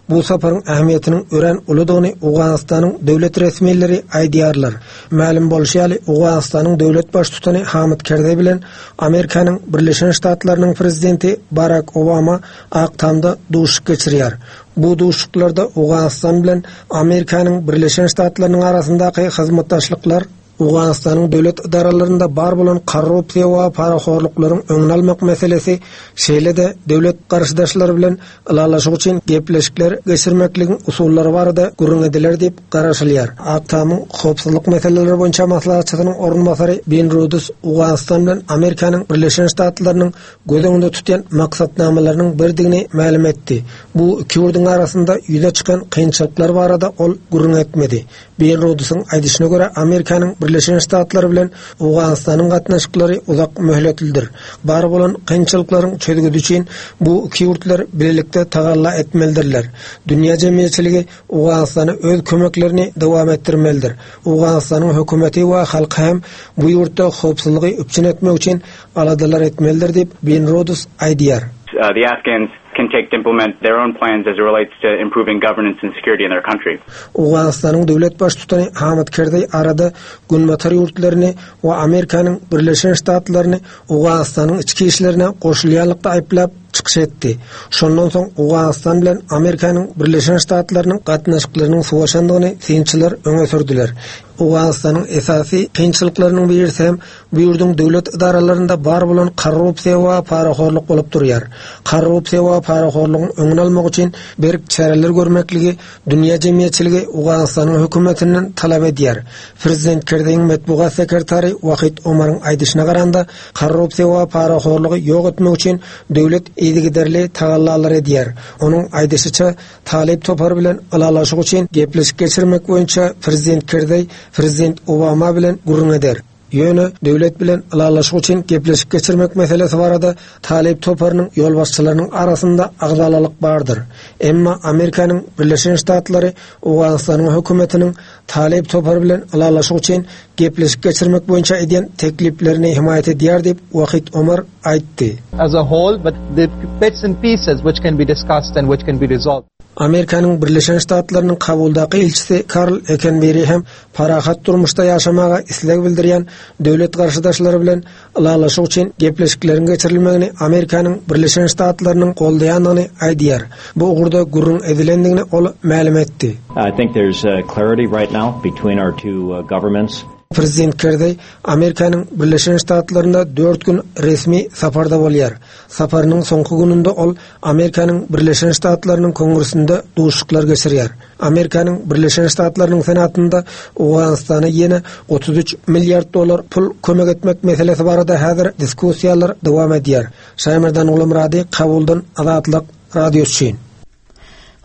Bu saparyň ähmiýetiniň örän uludygyny Owganystanyň döwlet resmileri aýdýarlar. Mälim bolşy ýaly, Owganystanyň döwlet baştutany Hamid Kerzaý bilen Amerikanyň Birleşen Ştatlarynyň prezidenti Barak Obama Ak Tamda duşuşyk geçirýär. Bu duşuşyklarda Owganystan bilen Amerikanyň Birleşen Ştatlarynyň arasyndaky hyzmatdaşlyklar, Owganystanyň döwlet edaralarynda bar bolan korrupsiýa we parahorluklaryň öňüni almak meselesi, şeýle-de döwlet garşydaşlary bilen ylalaşyk üçin gepleşikler geçirmekligiň usullary barada gürrüň ediler diýip garaşylýar. Ak Tamyň howpsuzlyk meseleleri boýunça maslahatçysynyň orunbasary Ben Rudus Owganystan bilen Amerikanyň Birleşen Ştatlarynyň göz öňünde tutýan maksatnamalarynyň birdigini mälim etdi. Bu iki ýurduň arasynda ýüze çykan kynçylyklar barada ol gürrüň etmedi. Ben Rudusyň aýdyşyna görä, Amerikanyň Birleşen Ştatlary bilen Owganystanyň gatnaşyklary uzak möhletlidir. Bar bolan kynçylyklaryň çözgüdi üçin bu iki ýurtlar bilelikde tagalla etmelidirler. Dünýä jemgyýetçiligi Owganystana öz kömeklerini dowam etdirmelidir. Owganystanyň hökümeti we halky hem bu ýurtda howpsuzlygy üpjün etmek üçin aladalar etmelidir diýip, Ben Rudus aýdýar. The Afghans can take to implement their own plans as it relates to improving governance and security in their country. Owganystanyň döwlet baştutany Hamid Kerzaý arada Günbatar ýurtlaryny we Amerikanyň Birleşen Ştatlaryny Owganystanyň içki işlerine goşulýanlykda aýyplap çykyş etdi. Şondan soň Owganystan bilen Amerikanyň Birleşen Ştatlarynyň gatnaşyklarynyň sowaşandygyny synçylar öňe sürdüler. Owganystanyň esasy kynçylyklarynyň birisi hem bu ýurduň döwlet edaralarynda bar bolan korrupsiýa we parahorluk bolup durýar. Korrupsiýa we parahorlugyň öňüni almak üçin berk çäreler görmekligi dünýä jemgyýetçiligi Owganystanyň hökümetinden talap edýär. Prezident Kerzaýyň metbugat sekretary Wahid Omaryň aýdyşyna garanda, korrupsiýa we parahorlugy ýok etmek üçin döwlet yzygiderli tagallalar edýär. Onuň aýdyşyça, Talyp topary bilen ylalaşyk üçin gepleşik geçirmek boýunça Prezident Kerzaý Prezident Obama bilen gürrüň eder. Ýöne döwlet bilen ylalaşyk üçin gepleşik geçirmek meselesi barada Talyp toparynyň ýolbaşçylarynyň arasynda agzalalyk bardyr. Emma Amerikanyň Birleşen Ştatlary Owganystanyň hökümetiniň Talyp topary bilen ylalaşyk üçin gepleşik geçirmek boýunça edýän tekliplerini himaýat edýär diýip Wahid Omar aýtdy. As a whole, but the bits and pieces which can be discussed and which can be resolved. Amerikanyň Birleşen Ştatlarynyň Kabuldaky ilçisi Karl Ekenberi hem parahat durmuşda ýaşamaga isleg bildirýän döwlet garşydaşlary bilen ylalaşyk üçin gepleşikleriň geçirilmegini Amerikanyň Birleşen Ştatlarynyň goldaýandygyny aýdýar. Bu ugurda gürrüň edilendigini ol mälim etdi. I think there's uh, clarity right now between our two uh, governments. Prezident Kerzeý Amerikanyň Birleşen Ştatlarynda dört gün resmi saparda bolýar. Saparynyň soňky gününde ol Amerikanyň Birleşen Ştatlarynyň Kongresinde duşuşyklar geçirýär. Amerikanyň Birleşen Ştatlarynyň Senatynda Owganystana ýene otuz üç milliard dollar pul kömek etmek meselesi barada häzir diskussiýalar dowam edýär. Şaýmerdan Gulamyrady, Kabuldan Azatlyk Radiosy üçin.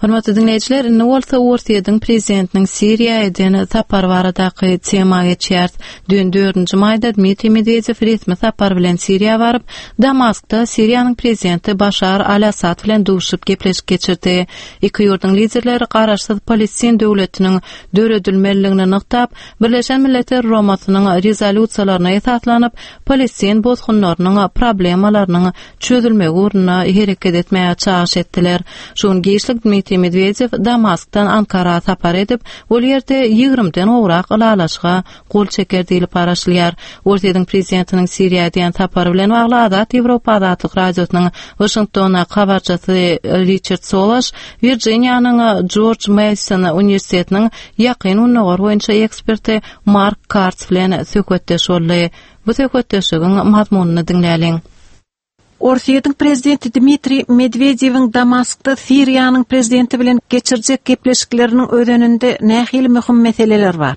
Hormatly diňleýjiler, indi bolsa Orsýetiň prezidentiniň Siriýa eden sapary baradaky tema geçýäris. Dün dördünji maýda Dmitriý Medwedew resmi sapar bilen Siriýa baryp, Damaskda Siriýanyň prezidenti Başar al-Assad bilen duşup gepleşik geçirdi. Iki ýurduň liderleri garaşsyz Palestin döwletiniň döredilmeliligini nygtap, Birleşen Milletler Guramasynyň rezolýusiýalaryna esaslanyp, palestin bosgunlarynyň problemalarynyň çözülmegi ugrunda hereket etmäge çagyryş etdiler. Şu gün giçlik Dmitriý Medwedew Damaskdan Ankara sapar edip, ol ýerde ýigrimiden gowrak ylalaşyga gol çeker diýlip garaşylýar. Orsýetiň prezidentiniň Siriýa edýän sapary bilen bagly Azat Ýewropa Azatlyk Radiosynyň Waşingtondaky habarçysy Riçard Solaş, Wirjiniýanyň Jorj Meýson uniwersitetiniň Ýakyn Gündogar boýunça eksperti Mark Karts bilen söhbetdeş boldy. Bu söhbetdeşligiň mazmunyny diňläliň. Orsýetiň prezidenti Dmitriý Medwedewiň Damaskda Siriýanyň prezidenti bilen geçirjek gepleşikleriniň özeninde nähili möhüm meseleler bar?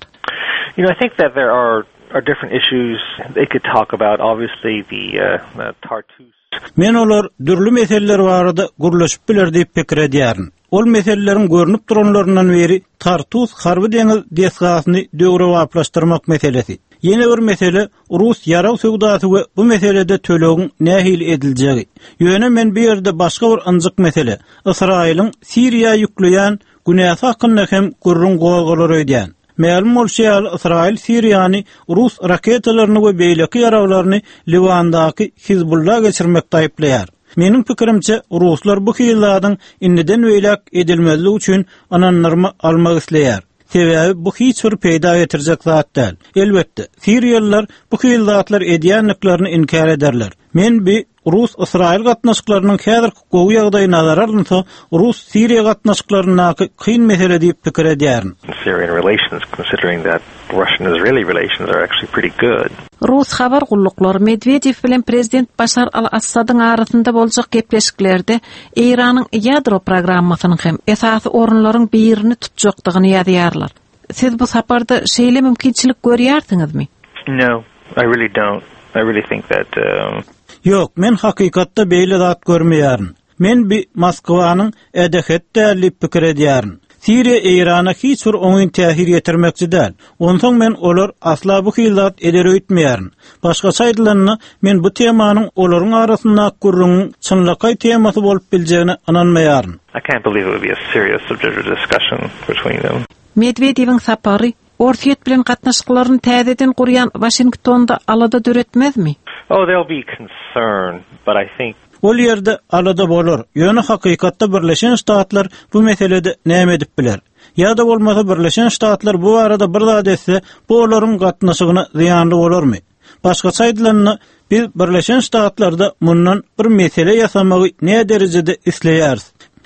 You know, I think that there are are different issues they could talk about. Obviously, the, uh, the Tartus. Men olar dürli meseleler barada gürleşip biler diýip pikir edýärin. Ol meseleleriň görnüp duranlaryndan biri Tartus harby deňiz desgasyny döwrebaplaşdyrmak meselesi. Ýene bir mesele rus ýarag söwdasy we bu meselede tölegiň nähili ediljegi. Ýöne men bu ýerde başga bir ynjyk mesele, Ysraýylyň Siriýa ýükleýän günäsi hakynda hem gürrüň gozgalar öýdýän. Mälim bolşy ýaly, Ysraýyl Siriýany rus raketalaryny we beýleki ýaraglaryny Liwandaky Hizbulla geçirmekde aýyplaýar. Meniň pikirimçe, ruslar bu hili zadyň indiden beýläk edilmezligi üçin ynandyrma almak isleýär. Sebäbi bu hiç bir peýda getirjek zat däl. Elbetde, siriýalylar bu hili zatlar edýändiklerini inkär ederler. Men bi Rus-Ysraýyl gatnaşyklarynyň häzirki gowy ýagdaýy nazara alynsa, Rus-Siriýa gatnaşyklaryndaky kyn mesele diýip pikir edýärin. Syrian relations, considering that Russian-Israeli relations are actually pretty good. Rus habar gulluklary Medwedew bilen prezident Başar al-Assadyň arasynda boljak gepleşiklerde Eýranyň ýadro programmasynyň hem esasy orunlaryň birini tutjakdygyny ýazýarlar. Siz bu saparda şeýle mümkinçilik görýärsiňizmi? No, I really don't. I really think that, um, Ýok, men hakykatda beýle zat görmeýärin. Men bi Moskwanyň ädehet däl diýip pikir edýärin. Siriýa Eýrana hiç bir oňyn täsir ýetirmekçi däl. Onsoň men olar asla bu hili zat eder öýtmeýärin. Başgaça aýdylanda, men bu temanyň olaryň arasyndaky gürrüňiň çynlakaý temasy bolup biljegine ynanmaýaryn. I can't believe it would be a serious subject of discussion between them. Medwedewiň sapary Orsýet bilen gatnaşyklaryny täzeden gurýan Waşingtonda alada döretmezmi? Oh, there'll be concern, but I think Ol ýerde alada bolar, ýöne hakykatda Birleşen Ştatlar bu meselede näme edip biler? Ýa-da bolmasa Birleşen Ştatlar bu barada bir zat etse, bu olaryň gatnaşygyna zyýanly bolarmy? Başgaça aýdylanda, biz Birleşen Ştatlarda mundan bir mesele ýasamagy ne derejede isleýäris?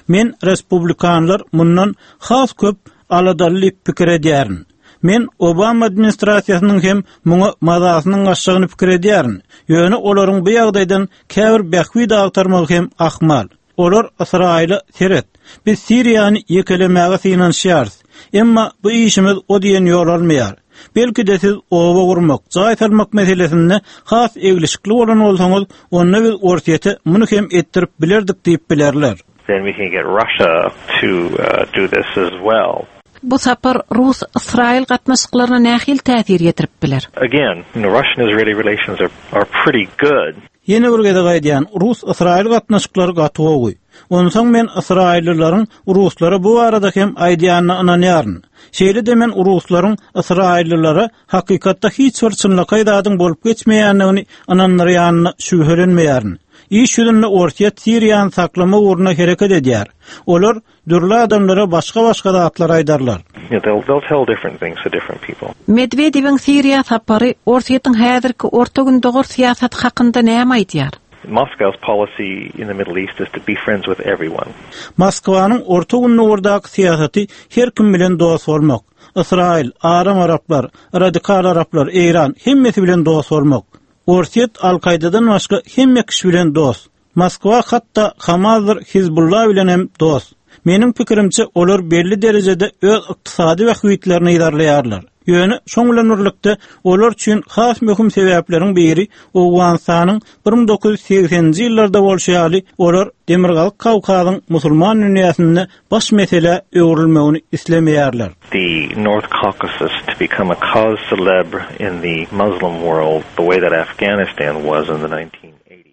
Men respublikanlar mundan has köp aladaly diýip pikir edýärin. Men Obama administrasiýasynyň hem muňa mazasynyň gaçjagyny pikir edýärin. Ýöne olaryň bu ýagdaýdan käbir bähbit agtarmagy hem ahmal. Olar Ysraýyla seret. Biz Siriýany ýekelemäge synanyşýarys. Emma bu işimiz o diýen ýol almaýar. Belki-de siz oba gurmak, jaý salmak meselesinde has eglişikli bolan bolsaňyz, onda biz Orsýete muny hem etdirip bilerdik diýip bilerler. Then we can get Russia to, uh, do this as well. Bu sapar Rus-Ysraýyl gatnaşyklaryna nähili täsir ýetirip biler? Again, you know, Russian-Israeli relations are, are pretty good. Ýene bir gezek aýdýan, Rus-Ysraýyl gatnaşyklary gaty gowy. Onsoň men ysraýyllylaryň ruslara bu barada hem aýdýanyna ynanýaryn. Şeýle-de men ruslaryň ysraýyllylara hakykatda hiç bir çynlakaý zadyň bolup geçmeýändigini ynandyrýanyna şübhelenmeýärin. Iş ýüzünde Orsýet Siriýany saklama ugruna hereket edýär. Olar dürli adamlara başga-başga zatlar aýdarlar. You know, they'll, they'll tell different things to different people. Medwedewiň Siriýa sapary Orsýetiň häzirki Orta Gündogar syýasaty hakynda näme aýdýar? Moscow's policy in the Middle East is to be friends with everyone. Moskwanyň Orta Gündogardaky syýasaty her kim bilen dost bolmak. Ysraýyl, aram araplar, radikal araplar, Eýran hemmesi bilen dost bolmak. Orsýet Al-Kaýdadan başga hemme kişi bilen dost. Moskwa hatda Hamasdyr Hizbullah bilen hem dost. Meniň pikirimçe olar belli derejede öz ykdysady bähbitlerini yzarlaýarlar. Ýöne şoň bilen birlikde olar üçin has möhüm sebäpleriň biri Owganystanyň bir müň dokuz ýüz segseninji ýyllarda bolşy ýaly olar Demirgazyk Kawkazyň musulman dünýäsinde baş mesele öwrülmegini islemeýärler. The North Caucasus to become a cause célèbre in the Muslim world the way that Afghanistan was in the nineteen eighties.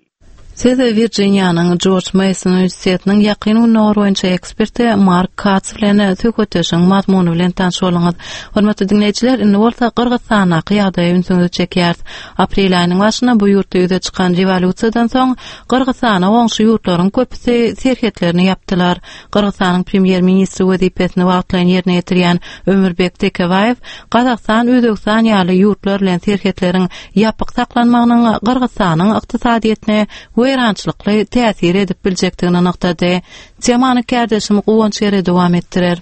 Siz Wirjiniýanyň Jorj Mason uniwersitetiniň Ýakyn Gündogar boýunça eksperti Mark Katz bilen söhbetdeşiň mazmuny bilen tanyş bolduňyz. Hormatly diňleýjiler, indi bolsa Gyrgyzystandaky ýagdaýa ünsüňizi çekýäris. Aprel aýynyň başynda bu ýurtda ýüze çykan rewolýusiýadan soň Gyrgyzystana goňşy ýurtlaryň köpüsi serhetlerini ýapdylar. Gyrgyzystanyň premýer-ministri wezipesini wagtlaýyn ýerine ýetirýän Ömürbek Tekebaýew Gazagystan, Özbegistan ýaly ýurtlar bilen serhetleriň ýapyk saklanmagynyň Gyrgyzystanyň ykdysadyýetine weýrançylykly täsir edip biljekdigini nygtady. Temany kärdeşim Guwanç Ere dowam etdirer.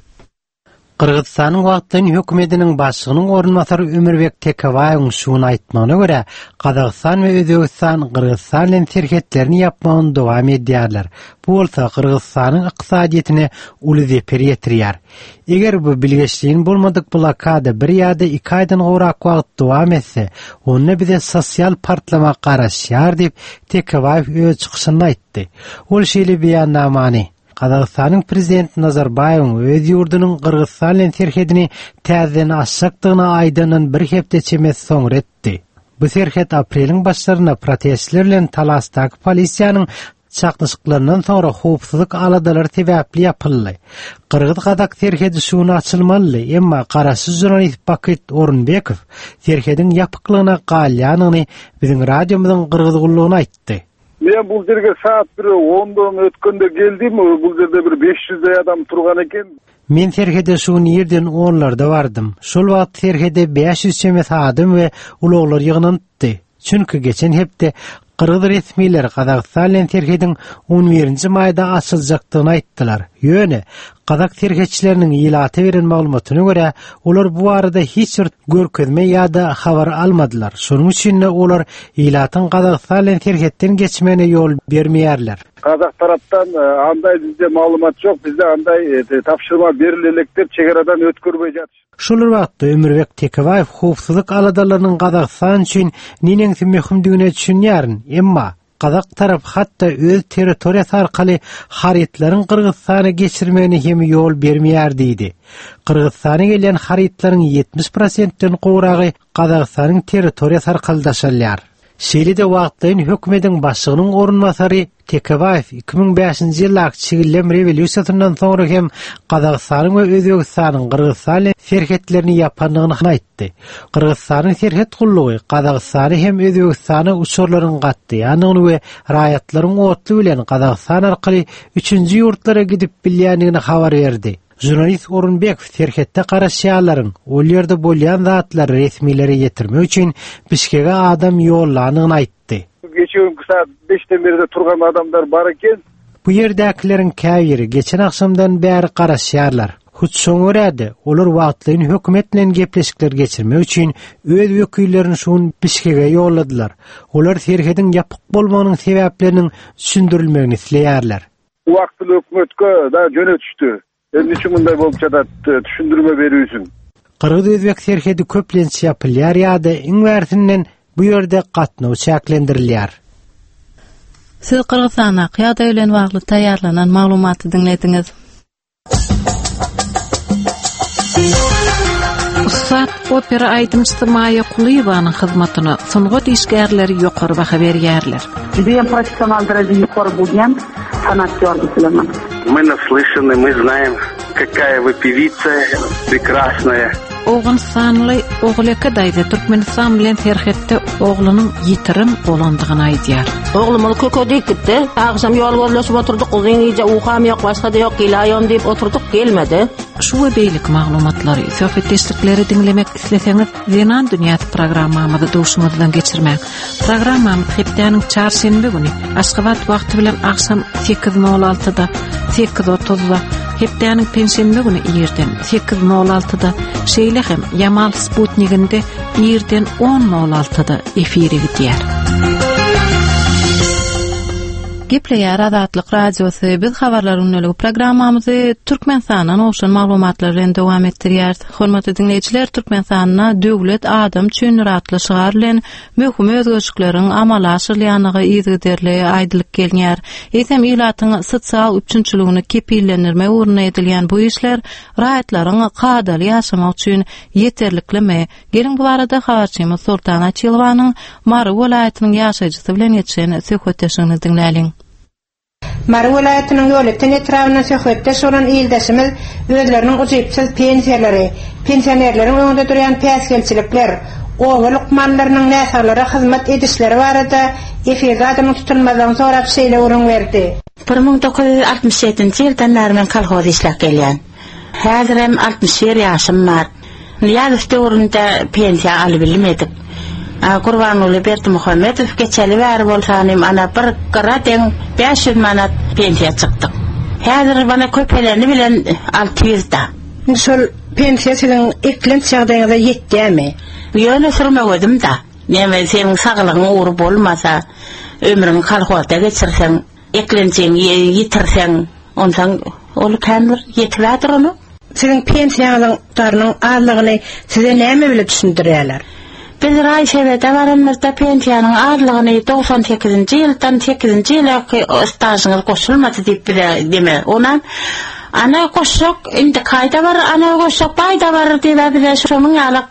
Gyrgyzystanyň wagtlaýyn hökümetiniň başlygynyň orunbasary Ömürbek Tekebaýewiň şuny aýtmagyna görä, Gazagystan we Özbegistan Gyrgyzystan bilen serhetlerini ýapmagyny dowam edýärler. Bu bolsa Gyrgyzystanyň ykdysadyýetine uly zeper ýetirýär. Eger bu bilgeşliğin bolmadyk blokada bir ýa-da iki aýdan gowrak wagt dowam etse, onda bize sosial partlama garaşýar diýip Tekebaýew öz çykyşynda aýtdy. Ol şeýle beýannamany Gazagystanyň prezidenti Nazarbaýewiň öz ýurdunyň Gyrgyzystan bilen serhedini täzeden açjakdygyny aýdandan bir hepde çemesi soňra etdi. Bu serhet apreliň başlarynda protestler bilen Talasdaky polisiýanyň çaknyşyklaryndan soňra howpsuzlyk aladalary sebäpli ýapyldy. Gyrgyz-Gazak serhedi şuny açylmaly, emma garaşsyz jurnalist Bakyt Orunbekow serhediň ýapyklygyna galýanyny biziň radiomyzyň Gyrgyz gullugyna aýtdy. Men bul жерге saat bir ондон өткөндө келдим, бул жерде бир беш жүздөй адам турган экен. Men serhede şu ýerden onlarda bardym. Şol wagt serhede bäş ýüz çemesi adam we ulaglar ýygnanypdy. Çünki geçen hepde Gyrgyz resmileri Gazagystan bilen serhediň on birinji maýda açyljakdygyny aýtdylar. Ýöne Gazak serhetçileriniň ilata beren maglumatyna görä, olar bu arada hiç bir görkezme ýa-da habar almadylar. Şonuň üçin olar ilatyň Gazagystan bilen serhetden geçmegine ýol bermeýärler. Kazak taraptan, e, андай bizde maglumat ýok, bizde anday, e, tapşyrma berilelek dep çegaradan ötkürmey jatyş. Şol wagtda Ömürbek Tekebaýew howpsuzlyk aladalarynyň Gazagystan üçin neneňsi möhümdigine düşünýärin, emma Gazak tarap hatda öz territoriýasy arkaly harytlaryň Gyrgyzystana geçirmegine hem ýol bermeýär diýdi. Gyrgyzystana gelen harytlaryň ýetmiş prosentden gowragy Gazagystanyň territoriýasy arkaly daşalýar. Şeýle-de wagtlaýyn hökümetiň başlygynyň orunbasary Tekebaýew iki müň bäşinji ýyldaky Çigillem rewolýusiýasyndan soňra hem Gazagystanyň we Özbegistanyň Gyrgyzystan bilen serhetlerini ýapandygyny aýtdy. Gyrgyzystanyň serhet gullugy Gazagystany hem Özbegistana uçarlaryň gatnaýandygyny we raýatlaryň otly bilen Gazagystan arkaly üçünji ýurtlara gidip bilýändigini habar berdi. Jurnalist Orunbekow serhetde garaşýanlaryň ol ýerde bolýan zatlary resmilere ýetirmek üçin Bişkege adam ýollandygyny aýtdy. Geçen günkü saat beşden beri turgan adamlar bar eken. Bu ýerdäkileriň käbiri geçen akşamdan bäri garaşýarlar. Hut şoňa görä-de, olar wagtlaýyn hökümet bilen gepleşikler geçirmek üçin öz wekillerini şuň Bişkege ýolladylar. Olar serhediň ýapyk bolmagynyň sebäpleriniň düşündirilmegini isleýärler. Wagtly hökümetke da jönetişdi. Emni üçin bunday bolup çadat, düşündirme berýärsin. Gyrgyz-Özbek serhedi köplenç ýapylýar ýa-da iň bärsinden bu ýerde gatnaw çäklendirilýär. Siz Gyrgyzystanda ýagdaý bilen bagly taýýarlanan maglumaty diňlediňiz. Ussat opera aýdymçysy Maýa Kulyýewanyň hyzmatyna sungat işgärleri ýokary baha berýärler. Judayam professional derejede ýokary bolýan sanatkar bilemen. Мы наслышаны, мы знаем, какая вы певица прекрасная. Owganystanly Oguleke daýza Türkmenistan bilen serhetde oglunyň ýitirim bolandygyny aýdýar. Oglumyz köke diýip gitdi. Agşam ýol gözleşip oturduk, uzyn gije ukam ýok, başga-da ýok, geläýom diýip oturduk, gelmedi. Şu we beýleki maglumatlary, söhbetdeşlikleri diňlemek isleseňiz, Zenan dünýäsi programmamyzy duşuňyzdan geçirmäň. Programmamyz hepdäniň çarşenbe güni Aşgabat wagty bilen agşam sekiz nol altyda, sekiz otuzda, hepdäniň penşenbe güni irden sekiz nol altyda, şeýle hem Ýamal Sputniginde irden on nol altyda efire gidýär. Gepleýär Azatlyk Radiosy. Biz habarlar günlügi programmamyzy Türkmenistandan gowşan maglumatlar bilen dowam etdirýäris. Hormatly diňleýjiler, Türkmenistanda döwlet adam üçin atly şygar bilen möhüm özgerişlikleriň amala aşyrylýandygy yzygiderli aýdylyp gelinýär. Eýsem ilatyň sosial üpjünçiligini kepillendirmek ugrunda edilýän bu işler raýatlaryň kadaly ýaşamagy üçin ýeterliklimi? Geliň bu barada habarçymyz Sultan Açylowanyň Mary welaýatynyň ýaşaýjysy bilen geçen söhbetdeşligini diňläliň. Mary welaýatynyň Ýolöten etrabyndan söhbetdeş bolan ildeşimiz özleriniň ujypsyz pensiýalary, pensionerleriň öňünde durýan päsgelçilikler, oba lukmanlarynyň näsaglara hyzmat edişleri barada efirde adynyň tutulmazlygyny sorap şeýle gürrüň berdi. Bir müň dokuz ýüz altmyş ýedinji ýyldan bäri men kolhoz işläp gelýän. Häzirem altmyş bir ýaşym bar. Nyýazow döwründe pensiýa alyp bilmedik. A, Gurbanguly Berdimuhamedow geçeli bäri bolsanym ana bir gyra deň bäş ýüz manat pensiýa çykdyk. Häzir bana köpeleni bilen alty ýüz da. Indi şol pensiýa siziň eklenç ýagdaýyňyza ýetýärmi? Ýöne sürmegödüm da. Näme seniň saglygyň ugry bolmasa, ömrüňi kolhozda geçirseň, eklenjiňi ýitirseň, ondan ol kän bir ýetip onu. Siziň pensiýaňyzyň darynyň azlygyny size näme bile düşündirýärler? Biz raýsebede baranymyzda pensiýanyň azlygyny doksan sekizinji ýyldan sekizinji ýylaky stažyňyz goşulmady diýip bize deme. Onam ana goşsak, indi kaýda bar, ana goşsak baýda bar diýip bize şonuň ýaly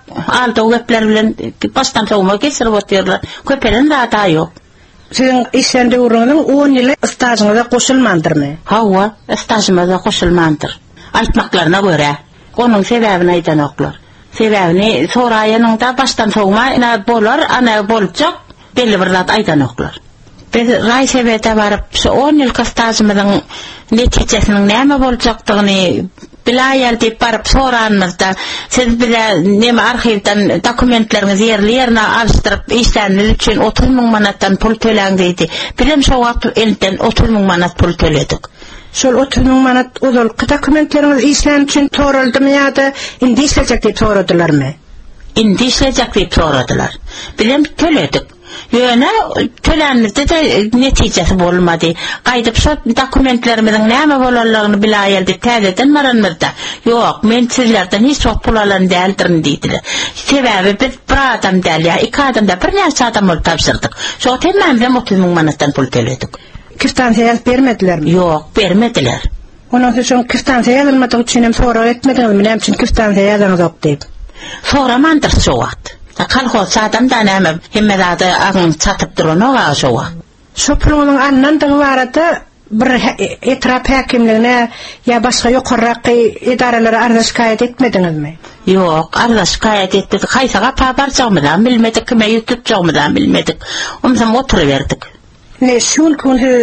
aldaw gepler bilen başdan sowma geçirip otyrlar. Köpelen zada ýok. Siziň işlän döwrüňiziň on ýyly stažyňyza goşulmandyrmy? Hawa, stažymyza goşulmandyr. Aýtmaklaryna görä, onuň sebäbini aýdanoklar. Sebäbini soraýanyňda başdan sowma, ina bolar, ana boljak, belli bir zat aýdanoklar. Biz raýsebede baryp, şu on ýylky stažymyzyň netijesiniň näme boljakdygyny bilaýal diýip baryp soranymyzda, siz bize näme arhiwden dokumentleriňizi ýerli ýerine alşdyryp işläniniz üçin otuz müň manatdan pul töläň diýdi. Bizem şo wagt elden otuz müň manat pul töledik. Şol otuz müň manat ozalky dokumentleriňiz işlän üçin soraldymy ýa-da indi işlejek diýip soradylarmy? Indi işlejek diýip soradylar. Bizem töledik. Ýöne tölenmizde de netijesi bolmady. Gaýdyp şo dokumentlerimiziň näme bolanlygyny bilaýal diýip täzeden baranymyzda, ýok, men sizlerden hiç wagt pul alan däldirin diýdiler. Sebäbi biz bir adam däl ýa iki adam däl, birnäçe adam bolup tabşyrdyk. Şo hemmämizem otuz müň manatdan pul töledik. Kwitansiýa ýazyp bermedilermi? Ýok, bermediler. Ondan soň şoň kwitansiýa ýazylmadygy üçin hem sorag etmediňizmi, näme üçin kwitansiýa ýazaňyzok diýip? Soramandyr şo wagt. Kolhozçy adam da näme, hemme zady agyň çatyp duranok aga şo wagt. Şo puluň alnandygy barada bir he-, etrap häkimligine ýa başga ýokarraky edaralara arza şikaýat etmediňizmi? Ýok, arza şikaýat etmedik. Haýsy gapa barjagymyzam bilmedik, kime ýüz tutjagymyzam bilmedik. Onsoň oturyberdik. Ne şu gün siz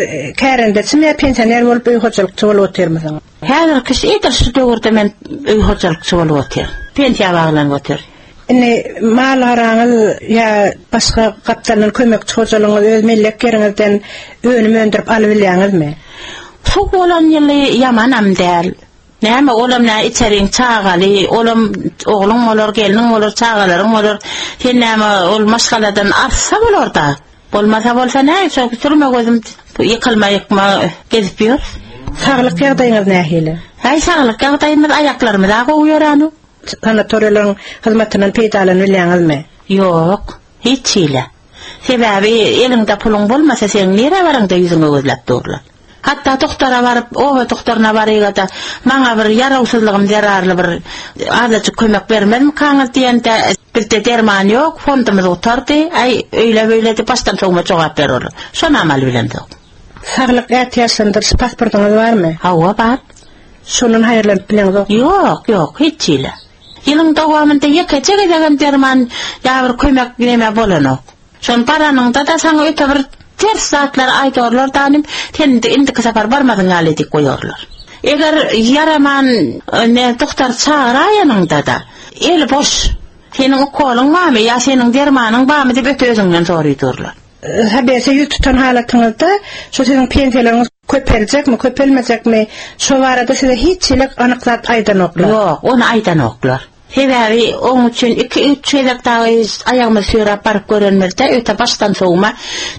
kärendeçimi ýa pensioner bolup öý hojalykçy bolup otyrmysyňyz? Häzirki şu edil şu döwürde men öý hojalykçy bolup otyryn. Pensiýa baglanyp otyryn. Indi mal garaňyz ýa başga gapdaldan kömekçi hojalygyňyz öz mellek ýeriňizden önüm öndürip alyp bilýäňizmi? Suw bolan ýyly ýamanam däl. Näme olam nä içeriň çagaly, olam ogluň bolar, gelniň bolar, çagalaryň bolar. Sen näme ol maşgaladan artsa bolar da. Bolmasa bolsa näme, şo sürme gözüm ýykylma ýykma gezip ýör. Saglyk ýagdaýyňyz nähili? Häý, saglyk ýagdaýymyz aýaklarymyz gowy ýöränok. Sanatoriýalaryň hyzmatyndan peýdalanyp bilýäňizmi? Ýok, hiç hile. Sebäbi eliňde puluň bolmasa sen nirä baraňda ýüzüňe gözläp durlar. Hatda doktora baryp, oba doktoryna baryga-da, maňa bir ýarawsyzlygym zerarly bir azajyk kömek bermezmikaňyz diýende, bizde derman ýok, fondumyz gutardy, aý öýle-beýle diýip başdan sowma jogap bererler. Şony amal bilemzok. Saglyk ätiýaçlandyryş pasportyňyz barmy? Hawa, bar. Şondan haýyrlanyp bileňzok? Ýok, ýok, hiç hili. Ýylyň dowamynda ýekeje gezegem derman ýa bir kömek neme bolanok. Şony baranyňda-da saňa öte bir ters zatlar aýdarlar danym, sen indi indiki sapar barmadyň ýaly edip goýarlar. Eger ýaraman ne doktor çagyraýanyňda-da, eli boş, seniň ukolyň barmy ýa seniň dermanyň barmy diýip öte özüňden soraýdurlar. Habese ýüz tutan halatyňyzda şu siziň pensiýalaryňyz köpeljekmi, köpelmejekmi, şo barada size hiç hili anyk zat aýdanoklar. Ýok, ony aýdanoklar. Sebäbi oň üçin iki-üç gezek dagy aýagymyzy süýräp baryp görenimizde öte başdan sowma,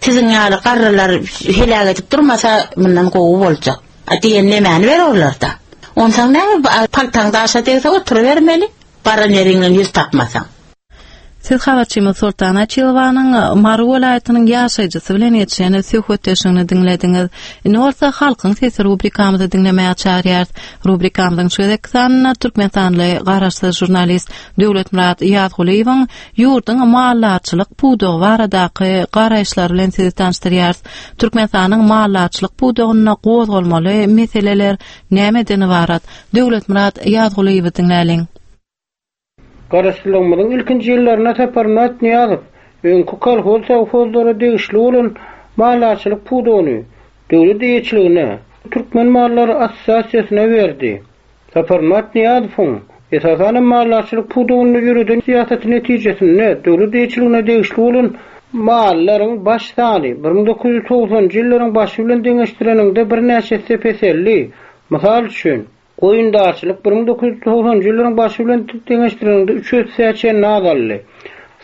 siziň ýaly garrylar heläk edip durmasa mundan gowy boljak diýen nemäni bererler-da. Onsoň näme paltaň daşa degse oturybermeli, baran ýeriňden ýüz tapmasaň. Siz habarçymyz Soltan Açylowanyň Mary welaýatynyň ýaşaýjysy bilen geçen söhbetdeşligini diňlediňiz. Indi bolsa Halkyň sesi rubrikamyzy diňlemäge çagyrýarys. Rubrikamyzyň şu gezekki sanynda Türkmenistanly garaşsyz žurnalist Döwletmyrat Ýazgulyýewiň ýurduň maldarçylyk pudagy baradaky garaýyşlary bilen sizi tanyşdyrýarys. Türkmenistanyň maldarçylyk pudagynda gozgalmaly meseleler nämeden ybarat? Döwletmyrat Ýazgulyýewi diňläliň. Garaşsyzlygymyzyň ilkinji ýyllarynda Saparmyrat Nyýazow öňki kolhoz sowhozlara degişli bolan maldarçylyk pudagyny döwlet eýeçiligine Türkmen mallary assosiasiýasyna berdi. Saparmyrat Nyýazowyň esasan maldarçylyk pudagynda ýöreden syýasaty netijesinde döwlet eýeçiligine degişli bolan mallaryň baş sany bir müň dokuz ýüz togsanjy ýyllaryň başy bilen deňeşdireninde birnäçe esse peseldi. Mysal üçin, goýundarçylyk bir müň dokuz ýüz togsanjy ýyllaryň başy bilen deňeşdireninde üç esse çenli azaldy.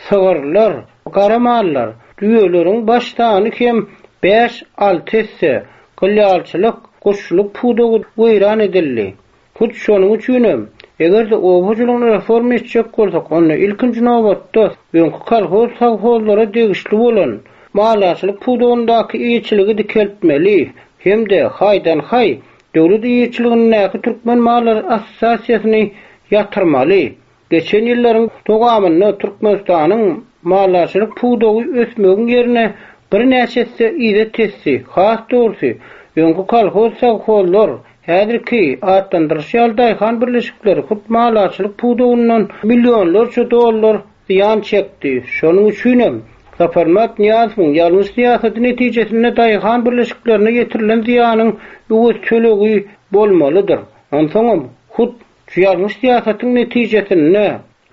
Sygyrlar, gara mallar, düýeleriň baş sany hem bäş alty esse, gylýalçylyk, guşçulyk pudagy weýran edildi. Hut şonuň üçinem, eger-de oba hojalygyny reforma etjek bolsak, onda ilkinji nobatda öňki kolhoz sowhozlara degişli bolan maldarçylyk pudagyndaky eýeçiligi dikeltmeli hem-de haýdan-haý döwlet eýeçiligindäki Türkmen mallary assosiasiýasyny ýatyrmaly. Geçen ýyllaryň dowamynda Türkmenistanyň maldarçylyk pudagy ösmegiň ýerine birnäçe esse yza tesdi. Has dogrusy, öňki kolhoz sowhozlar häzirki atlandyryş ýaly daýhan birleşikleri hut maldarçylyk pudagyndan millionlarça dollar zyýan çekdi. Şonuň üçinem Saparmyrat Nyýazowyň ýalňyş syýasaty netijesinde daýhan birleşiklerine ýetirilen zyýanyň öwez tölegi bolmalydyr. Onsoňam hut şu ýalňyş syýasatyň netijesinde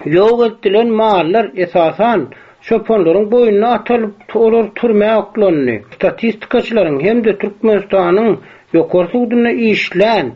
ýok edilen mallar esasan çopanlaryň boýnuna atalyp, olar türmä oklandy. Statistikaçylaryň hem-de Türkmenistanyň ýokary sudunda işlän,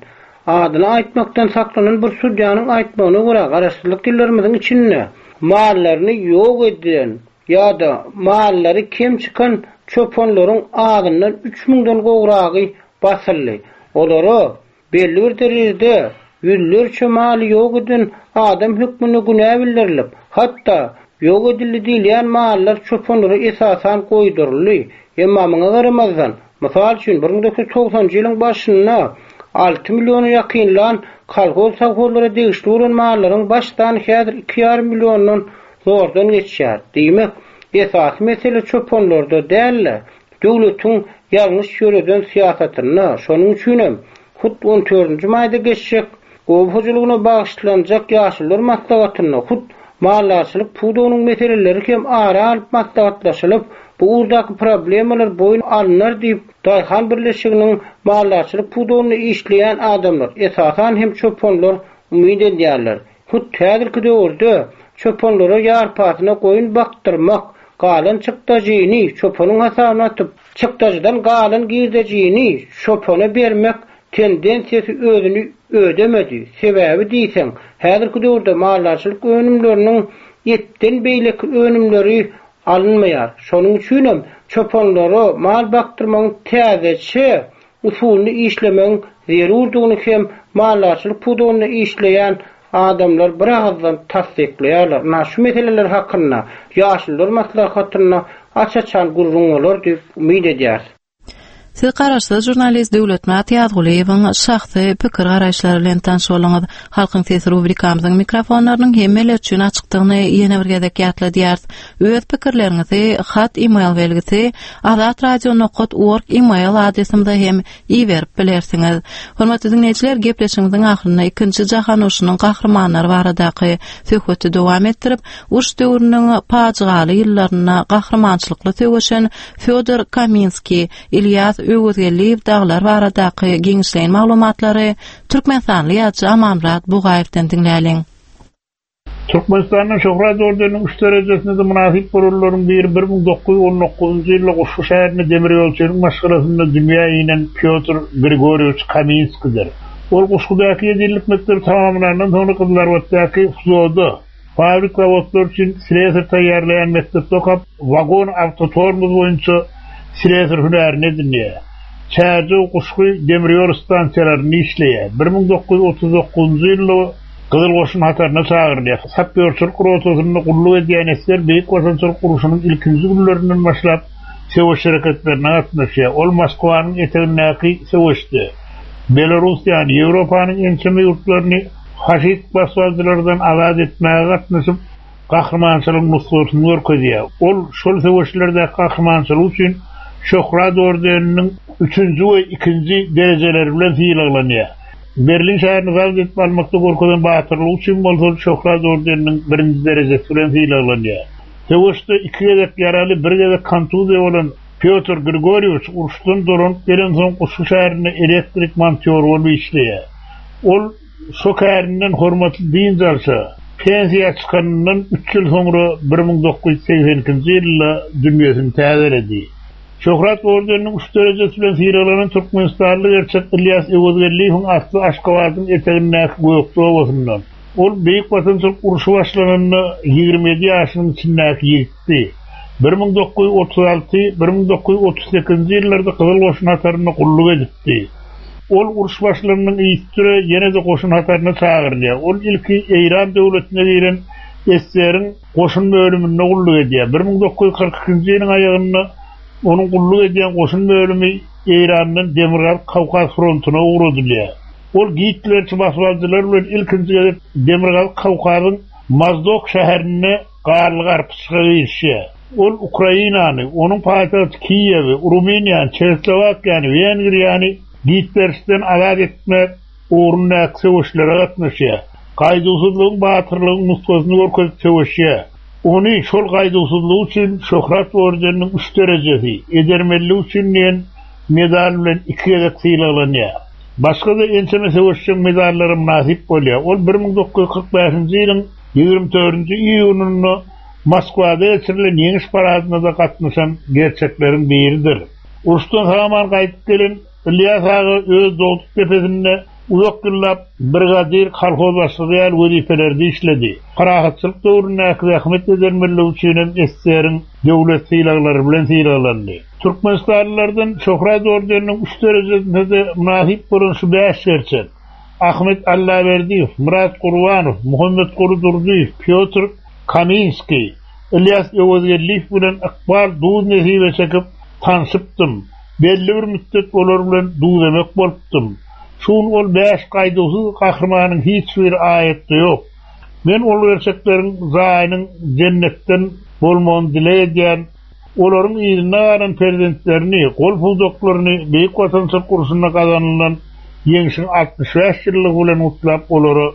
adyny aýtmakdan saklanan bir sudýanyň aýtmagyna görä, garaşsyzlyk ýyllarymyzyň içinde mallaryny ýok edilen ýa-da mallary kem çykan çopanlaryň azyndan üç müňden gowragy basyldy. Olara belli bir derejede ýüzlerçe maly ýok eden adam hökmünde günä bildirilip, hatda ýok edildi diýilýän mallar çopanlara esasan goýduryldy. Emma muňa garamazdan, mysal üçin bir müň dokuz ýüz togsanjy ýylyň başynda alty milliona ýakynlan kolhoz sowhozlara degişli bolan mallaryň baş sany häzir iki ýarym milliondan zordan geçýär. Diýmek, esasy mesele çopanlarda däl-de, döwletiň ýalňyş ýöreden syýasatynda. Şonuň üçinem hut on dördünji maýda geçjek oba hojalygyna bagyşlanjak ýaşulular maslahatynda hut maldarçylyk pudagynyň meseleleri hem ara alyp maslahatlaşylyp, bu ugurdaky problemalar boýun alynar diýip, daýhan birleşiginiň maldarçylyk pudagynda işleýän adamlar, esasan hem çopanlar umyt edýärler. Hut häzirki döwürde çopanlara ýarpasyna goýun bakdyrmak, galan çykdajyny çopanyň hasabyna atyp, çykdajydan galan girdejini çopana bermek tendensiýasy özüni ödemedi. Sebäbi diýseň, häzirki döwürde maldarçylyk önümleriniň etden beýleki önümleri alynmaýar. Şonuň üçinem çopanlara mal bakdyrmagyň täzeçe usulyny işlemegiň zerurdygyny hem maldarçylyk pudagynda işleýän adamlar bir ağızdan tassyklaýarlar. Na şu meseleler hakynda ýaşulular maslahatynda aç-açan gürrüň bolar diýip umyt edýäris. Siz garaşsyz žurnalist Döwletmyrat Ýazgulyýewiň şahsy pikir garaýyşlary bilen tanyş bolduňyz. Halkyň sesi rubrikamyzyň mikrofonlarynyň hemmeler üçin açykdygyny ýene bir gezek ýatladýarys. Öz pikirleriňizi hat e-mail belgisi azatradio nokat org e-mail adresimize hem iberip bilersiňiz. Hormatly diňleýjiler, gepleşigimiziň ahyrynda ikinji jahan urşunyň gahrymanlary baradaky söhbeti dowam etdirip, uruş döwrüniň pajygaly ýyllarynda gahrymançylykly söweşen Fýodor Kaminskiý, Ilýas Öwezgeldiýew dagylar baradaky giňişleýin maglumatlary türkmenistanly ýazyjy Amanmyrat Bugaýewden diňläliň. Türkmenistanda Şöhrat ordeniniň üç derejesine-de mynasyp bolanlaryň biri bir müň dokuz ýüz on dokuzynjy ýylda Guşgy şäherinde demirýolçynyň maşgalasynda dünýä inen Pýotr Grigorýewiç Kaminskidir. Ol Guşgudaky ýedi ýyllyk mekdebi tamamlandan soňra Gyzylarbatdaky FZO-da, fabrik-zawodlar üçin slesar taýýarlaýan mekdepde okap, wagon awtotormoz boýunça slesar hünärini edinýär. Çärjew Guşgy demirýol stansiýalarynda işleýär. Bir müň dokuz ýüz otuz dokuzynjy ýylda Gyzyl Goşun hataryna çagyrylýar. Sapýorçylyk rotasynda gulluk edýän esger Beýik Watançylyk urşunyň ilkinji günlerinden başlap söweş hereketlerine gatnaşýar. Ol Moskwanyň etegindäki söweşde Belorussiýany, Ýewropanyň ençeme ýurtlaryny faşist basybalyjylardan azat etmäge gatnaşyp, gahrymançylygyň nusgasyny görkezýär. Ol şol söweşlerdäki gahrymançylygy üçin Şöhrat ordeniniň üçünji we ikinji derejeleri bilen sylaglanýar. Berlin şäherini zabt edip almakda görkezen batyrlygy üçin bolsa Şöhrat ordeniniň birinji derejesi bilen sylaglanýar. Söweşde iki gezek ýaraly, bir gezek kontuziýa bolan Pýotr Grigorýewiç uruşdan dolanyp gelensoň Guşgy şäherinde elektrik montýory bolup işleýär. Ol şo kärinden hormatly dynç alşa, pensiýa çykanyndan üç ýyl soňra bir müň dokuz ýüz segsen ikinji ýylda dünýesini täzeledi. Şöhrat ordeniniň üç derejesi bilen sylaglanan türkmenistanly gerçek Ilýas Öwezgeldiýewiň asly Aşgabadyň etegindäki Gökje obasyndan. Ol Beýik Watançylyk urşy başlananda ýigrimi ýedi ýaşynyň içindäki ýigitdi. Bir müň dokuz ýüz otuz alty, bir müň dokuz ýüz otuz sekizinji ýyllarda Gyzyl Goşun hatarynda gulluk edipdi. Ol uruş başlanynyň yzysüre ýene-de goşun hataryna çagyrylýar. Ol ilki Eýran döwletine giren eseriň goşun bölüminde gulluk edýär. Bir müň dokuz ýüz kyrk ikinji ýylyň aýagynda onuň gulluk edýän goşun bölümi Eýrandan Demirgazyk Kawkaz frontuna ugradylýar. Ol Gitlerçi basybalyjylar bilen ilkinji gezek Demirgazyk Kawkazyň Mozdok şäherinde garly garpyşyga girişýär. Ol Ukrainany, onuň paýtagty Kiýewi, Rumyniýany, Çehoslowakiýany, Wengriýany Gitlerçiden azat etmek ugrundaky söweşlere gatnaşýar. Gaýduwsyzlygyň, batyrlygyň nusgasyny görkezip söweşýär. Ony şol gaýduwsyzlygy üçin Şöhrat ordeniniň üç derejesi, edermenligi üçin diýen medal bilen iki gezek sylaglanýar. Başga-da ençeme söweşjeň medallara mynasyp bolýar. Ol bir müň dokuz ýüz kyrk bäşinji ýylyň ýigrimi dördünji iýunynda Moskwada geçirilen ýeňiş paradyna-da gatnaşan gerçekleriň biridir. Uruşdan sag-aman gaýdyp gelen Ilýas aga öz dogduk depesinde uzak ýyllap brigadir, kolhoz başlygy ýaly wezipelerde işledi. Parahatçylyk döwründäki zähmet edermenligi üçin hem eseriň döwlet sylaglary bilen sylaglandy. Türkmenistanlylardan Şöhrat ordeniniň üç derejesine-de mynasyp bolan şu bäş gerçek: Ahmet Allaberdiýew, Murat Gurbanow, Muhammetguly Durdyýew, Pýotr Kaminskiý, Ilýas Öwezgeldiýew bilen ykbal duz nesibe çekip tanşypdym. Belli bir müddet olar bilen duzemek bolupdym. Şu gün ol bäş gaýduwsyz gahrymanyň hiç bir aýatda ýok. Men ol gerçekleriň jaýynyň jennetden bolmagyny dileg edýän, olaryň yzynda galan perzentlerini, gol pudaklaryny Beýik Watançylyk urşunda gazanylan ýeňşiň altmyş bäş ýyllygy bilen gutlap, olara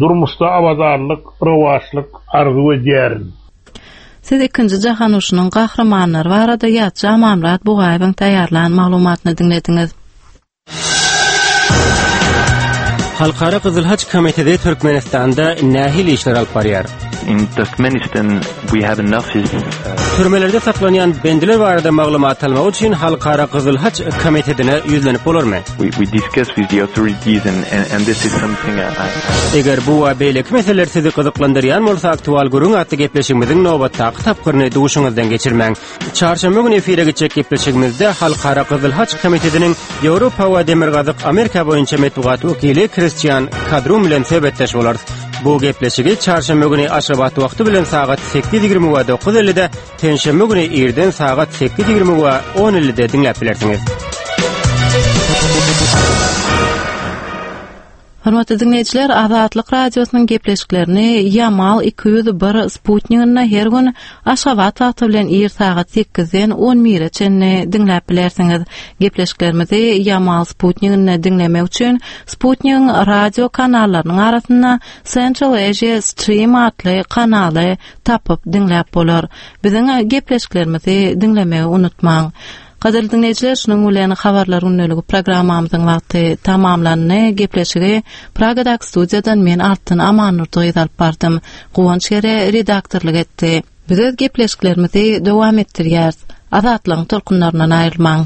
durmuşda abadanlyk, rowaçlyk arzuw edýärin. Siz ikinji jahan urşunyň gahrymanlary barada ýazyjy Amanmyrat Bugaýewiň taýýarlan maglumatyny diňlediňiz. Halkara Gyzyl Haç Komiteti Türkmenistanda nähili işler alyp barýar? In Turkmenistan we have an office. Türmelerde saklanýan bendiler barada maglumat almak üçin Halkara Gyzyl Haç Komitetine ýüzlenip bolarmy? We, we discuss with the authorities and, and, and this is something I, I Eger bu we beýleki meseleler sizi gyzyklandyrýan bolsa, Aktual gürrüň atly gepleşigimiziň nobatdaky tapgyryny duşuňyzdan geçirmäň. Çarşenbe güni efire gitjek gepleşigimizde Halkara Gyzyl Haç Komitetiniň Ýewropa we Demirgazyk Amerika boýunça metbugat wekili Kristian Kadrum bilen söhbetdeş bolarys. Bu gepleşigi çarşenbe güni Aşgabat wagty bilen sagat sekiz ýigrimi we dokuz ellide, penşenbe güni irden sagat sekiz ýigrimi we on ellide diňläp bilersiňiz. Hormatly dinleýjiler, Azatlyk radiosynyň gepleşiklerini Yamal iki ýüz bir sputniginde her gün Aşgabat wagty bilen ir sagat sekizden on bire çenli diňläp bilersiňiz. Gepleşiklerimizi Yamal sputniginde diňlemek üçin Sputnigiň radio kanallarynyň arasynda Central Asia Stream atly kanaly tapyp diňläp bolar. Biziň gepleşiklerimizi diňlemegi unutmaň. Gadyrly dinleýjiler, şunuň bilen habarlar gündeligi programmamyzyň wagty tamamlandy. Gepleşigi Pragadaky studiýadan men Altyn Amannurdygyz alyp bardym. Guwanç Gere redaktorlyk etdi. Biz öz gepleşiklerimizi dowam etdirýäris. Azatlygyň tolkunlaryndan aýrylmaň.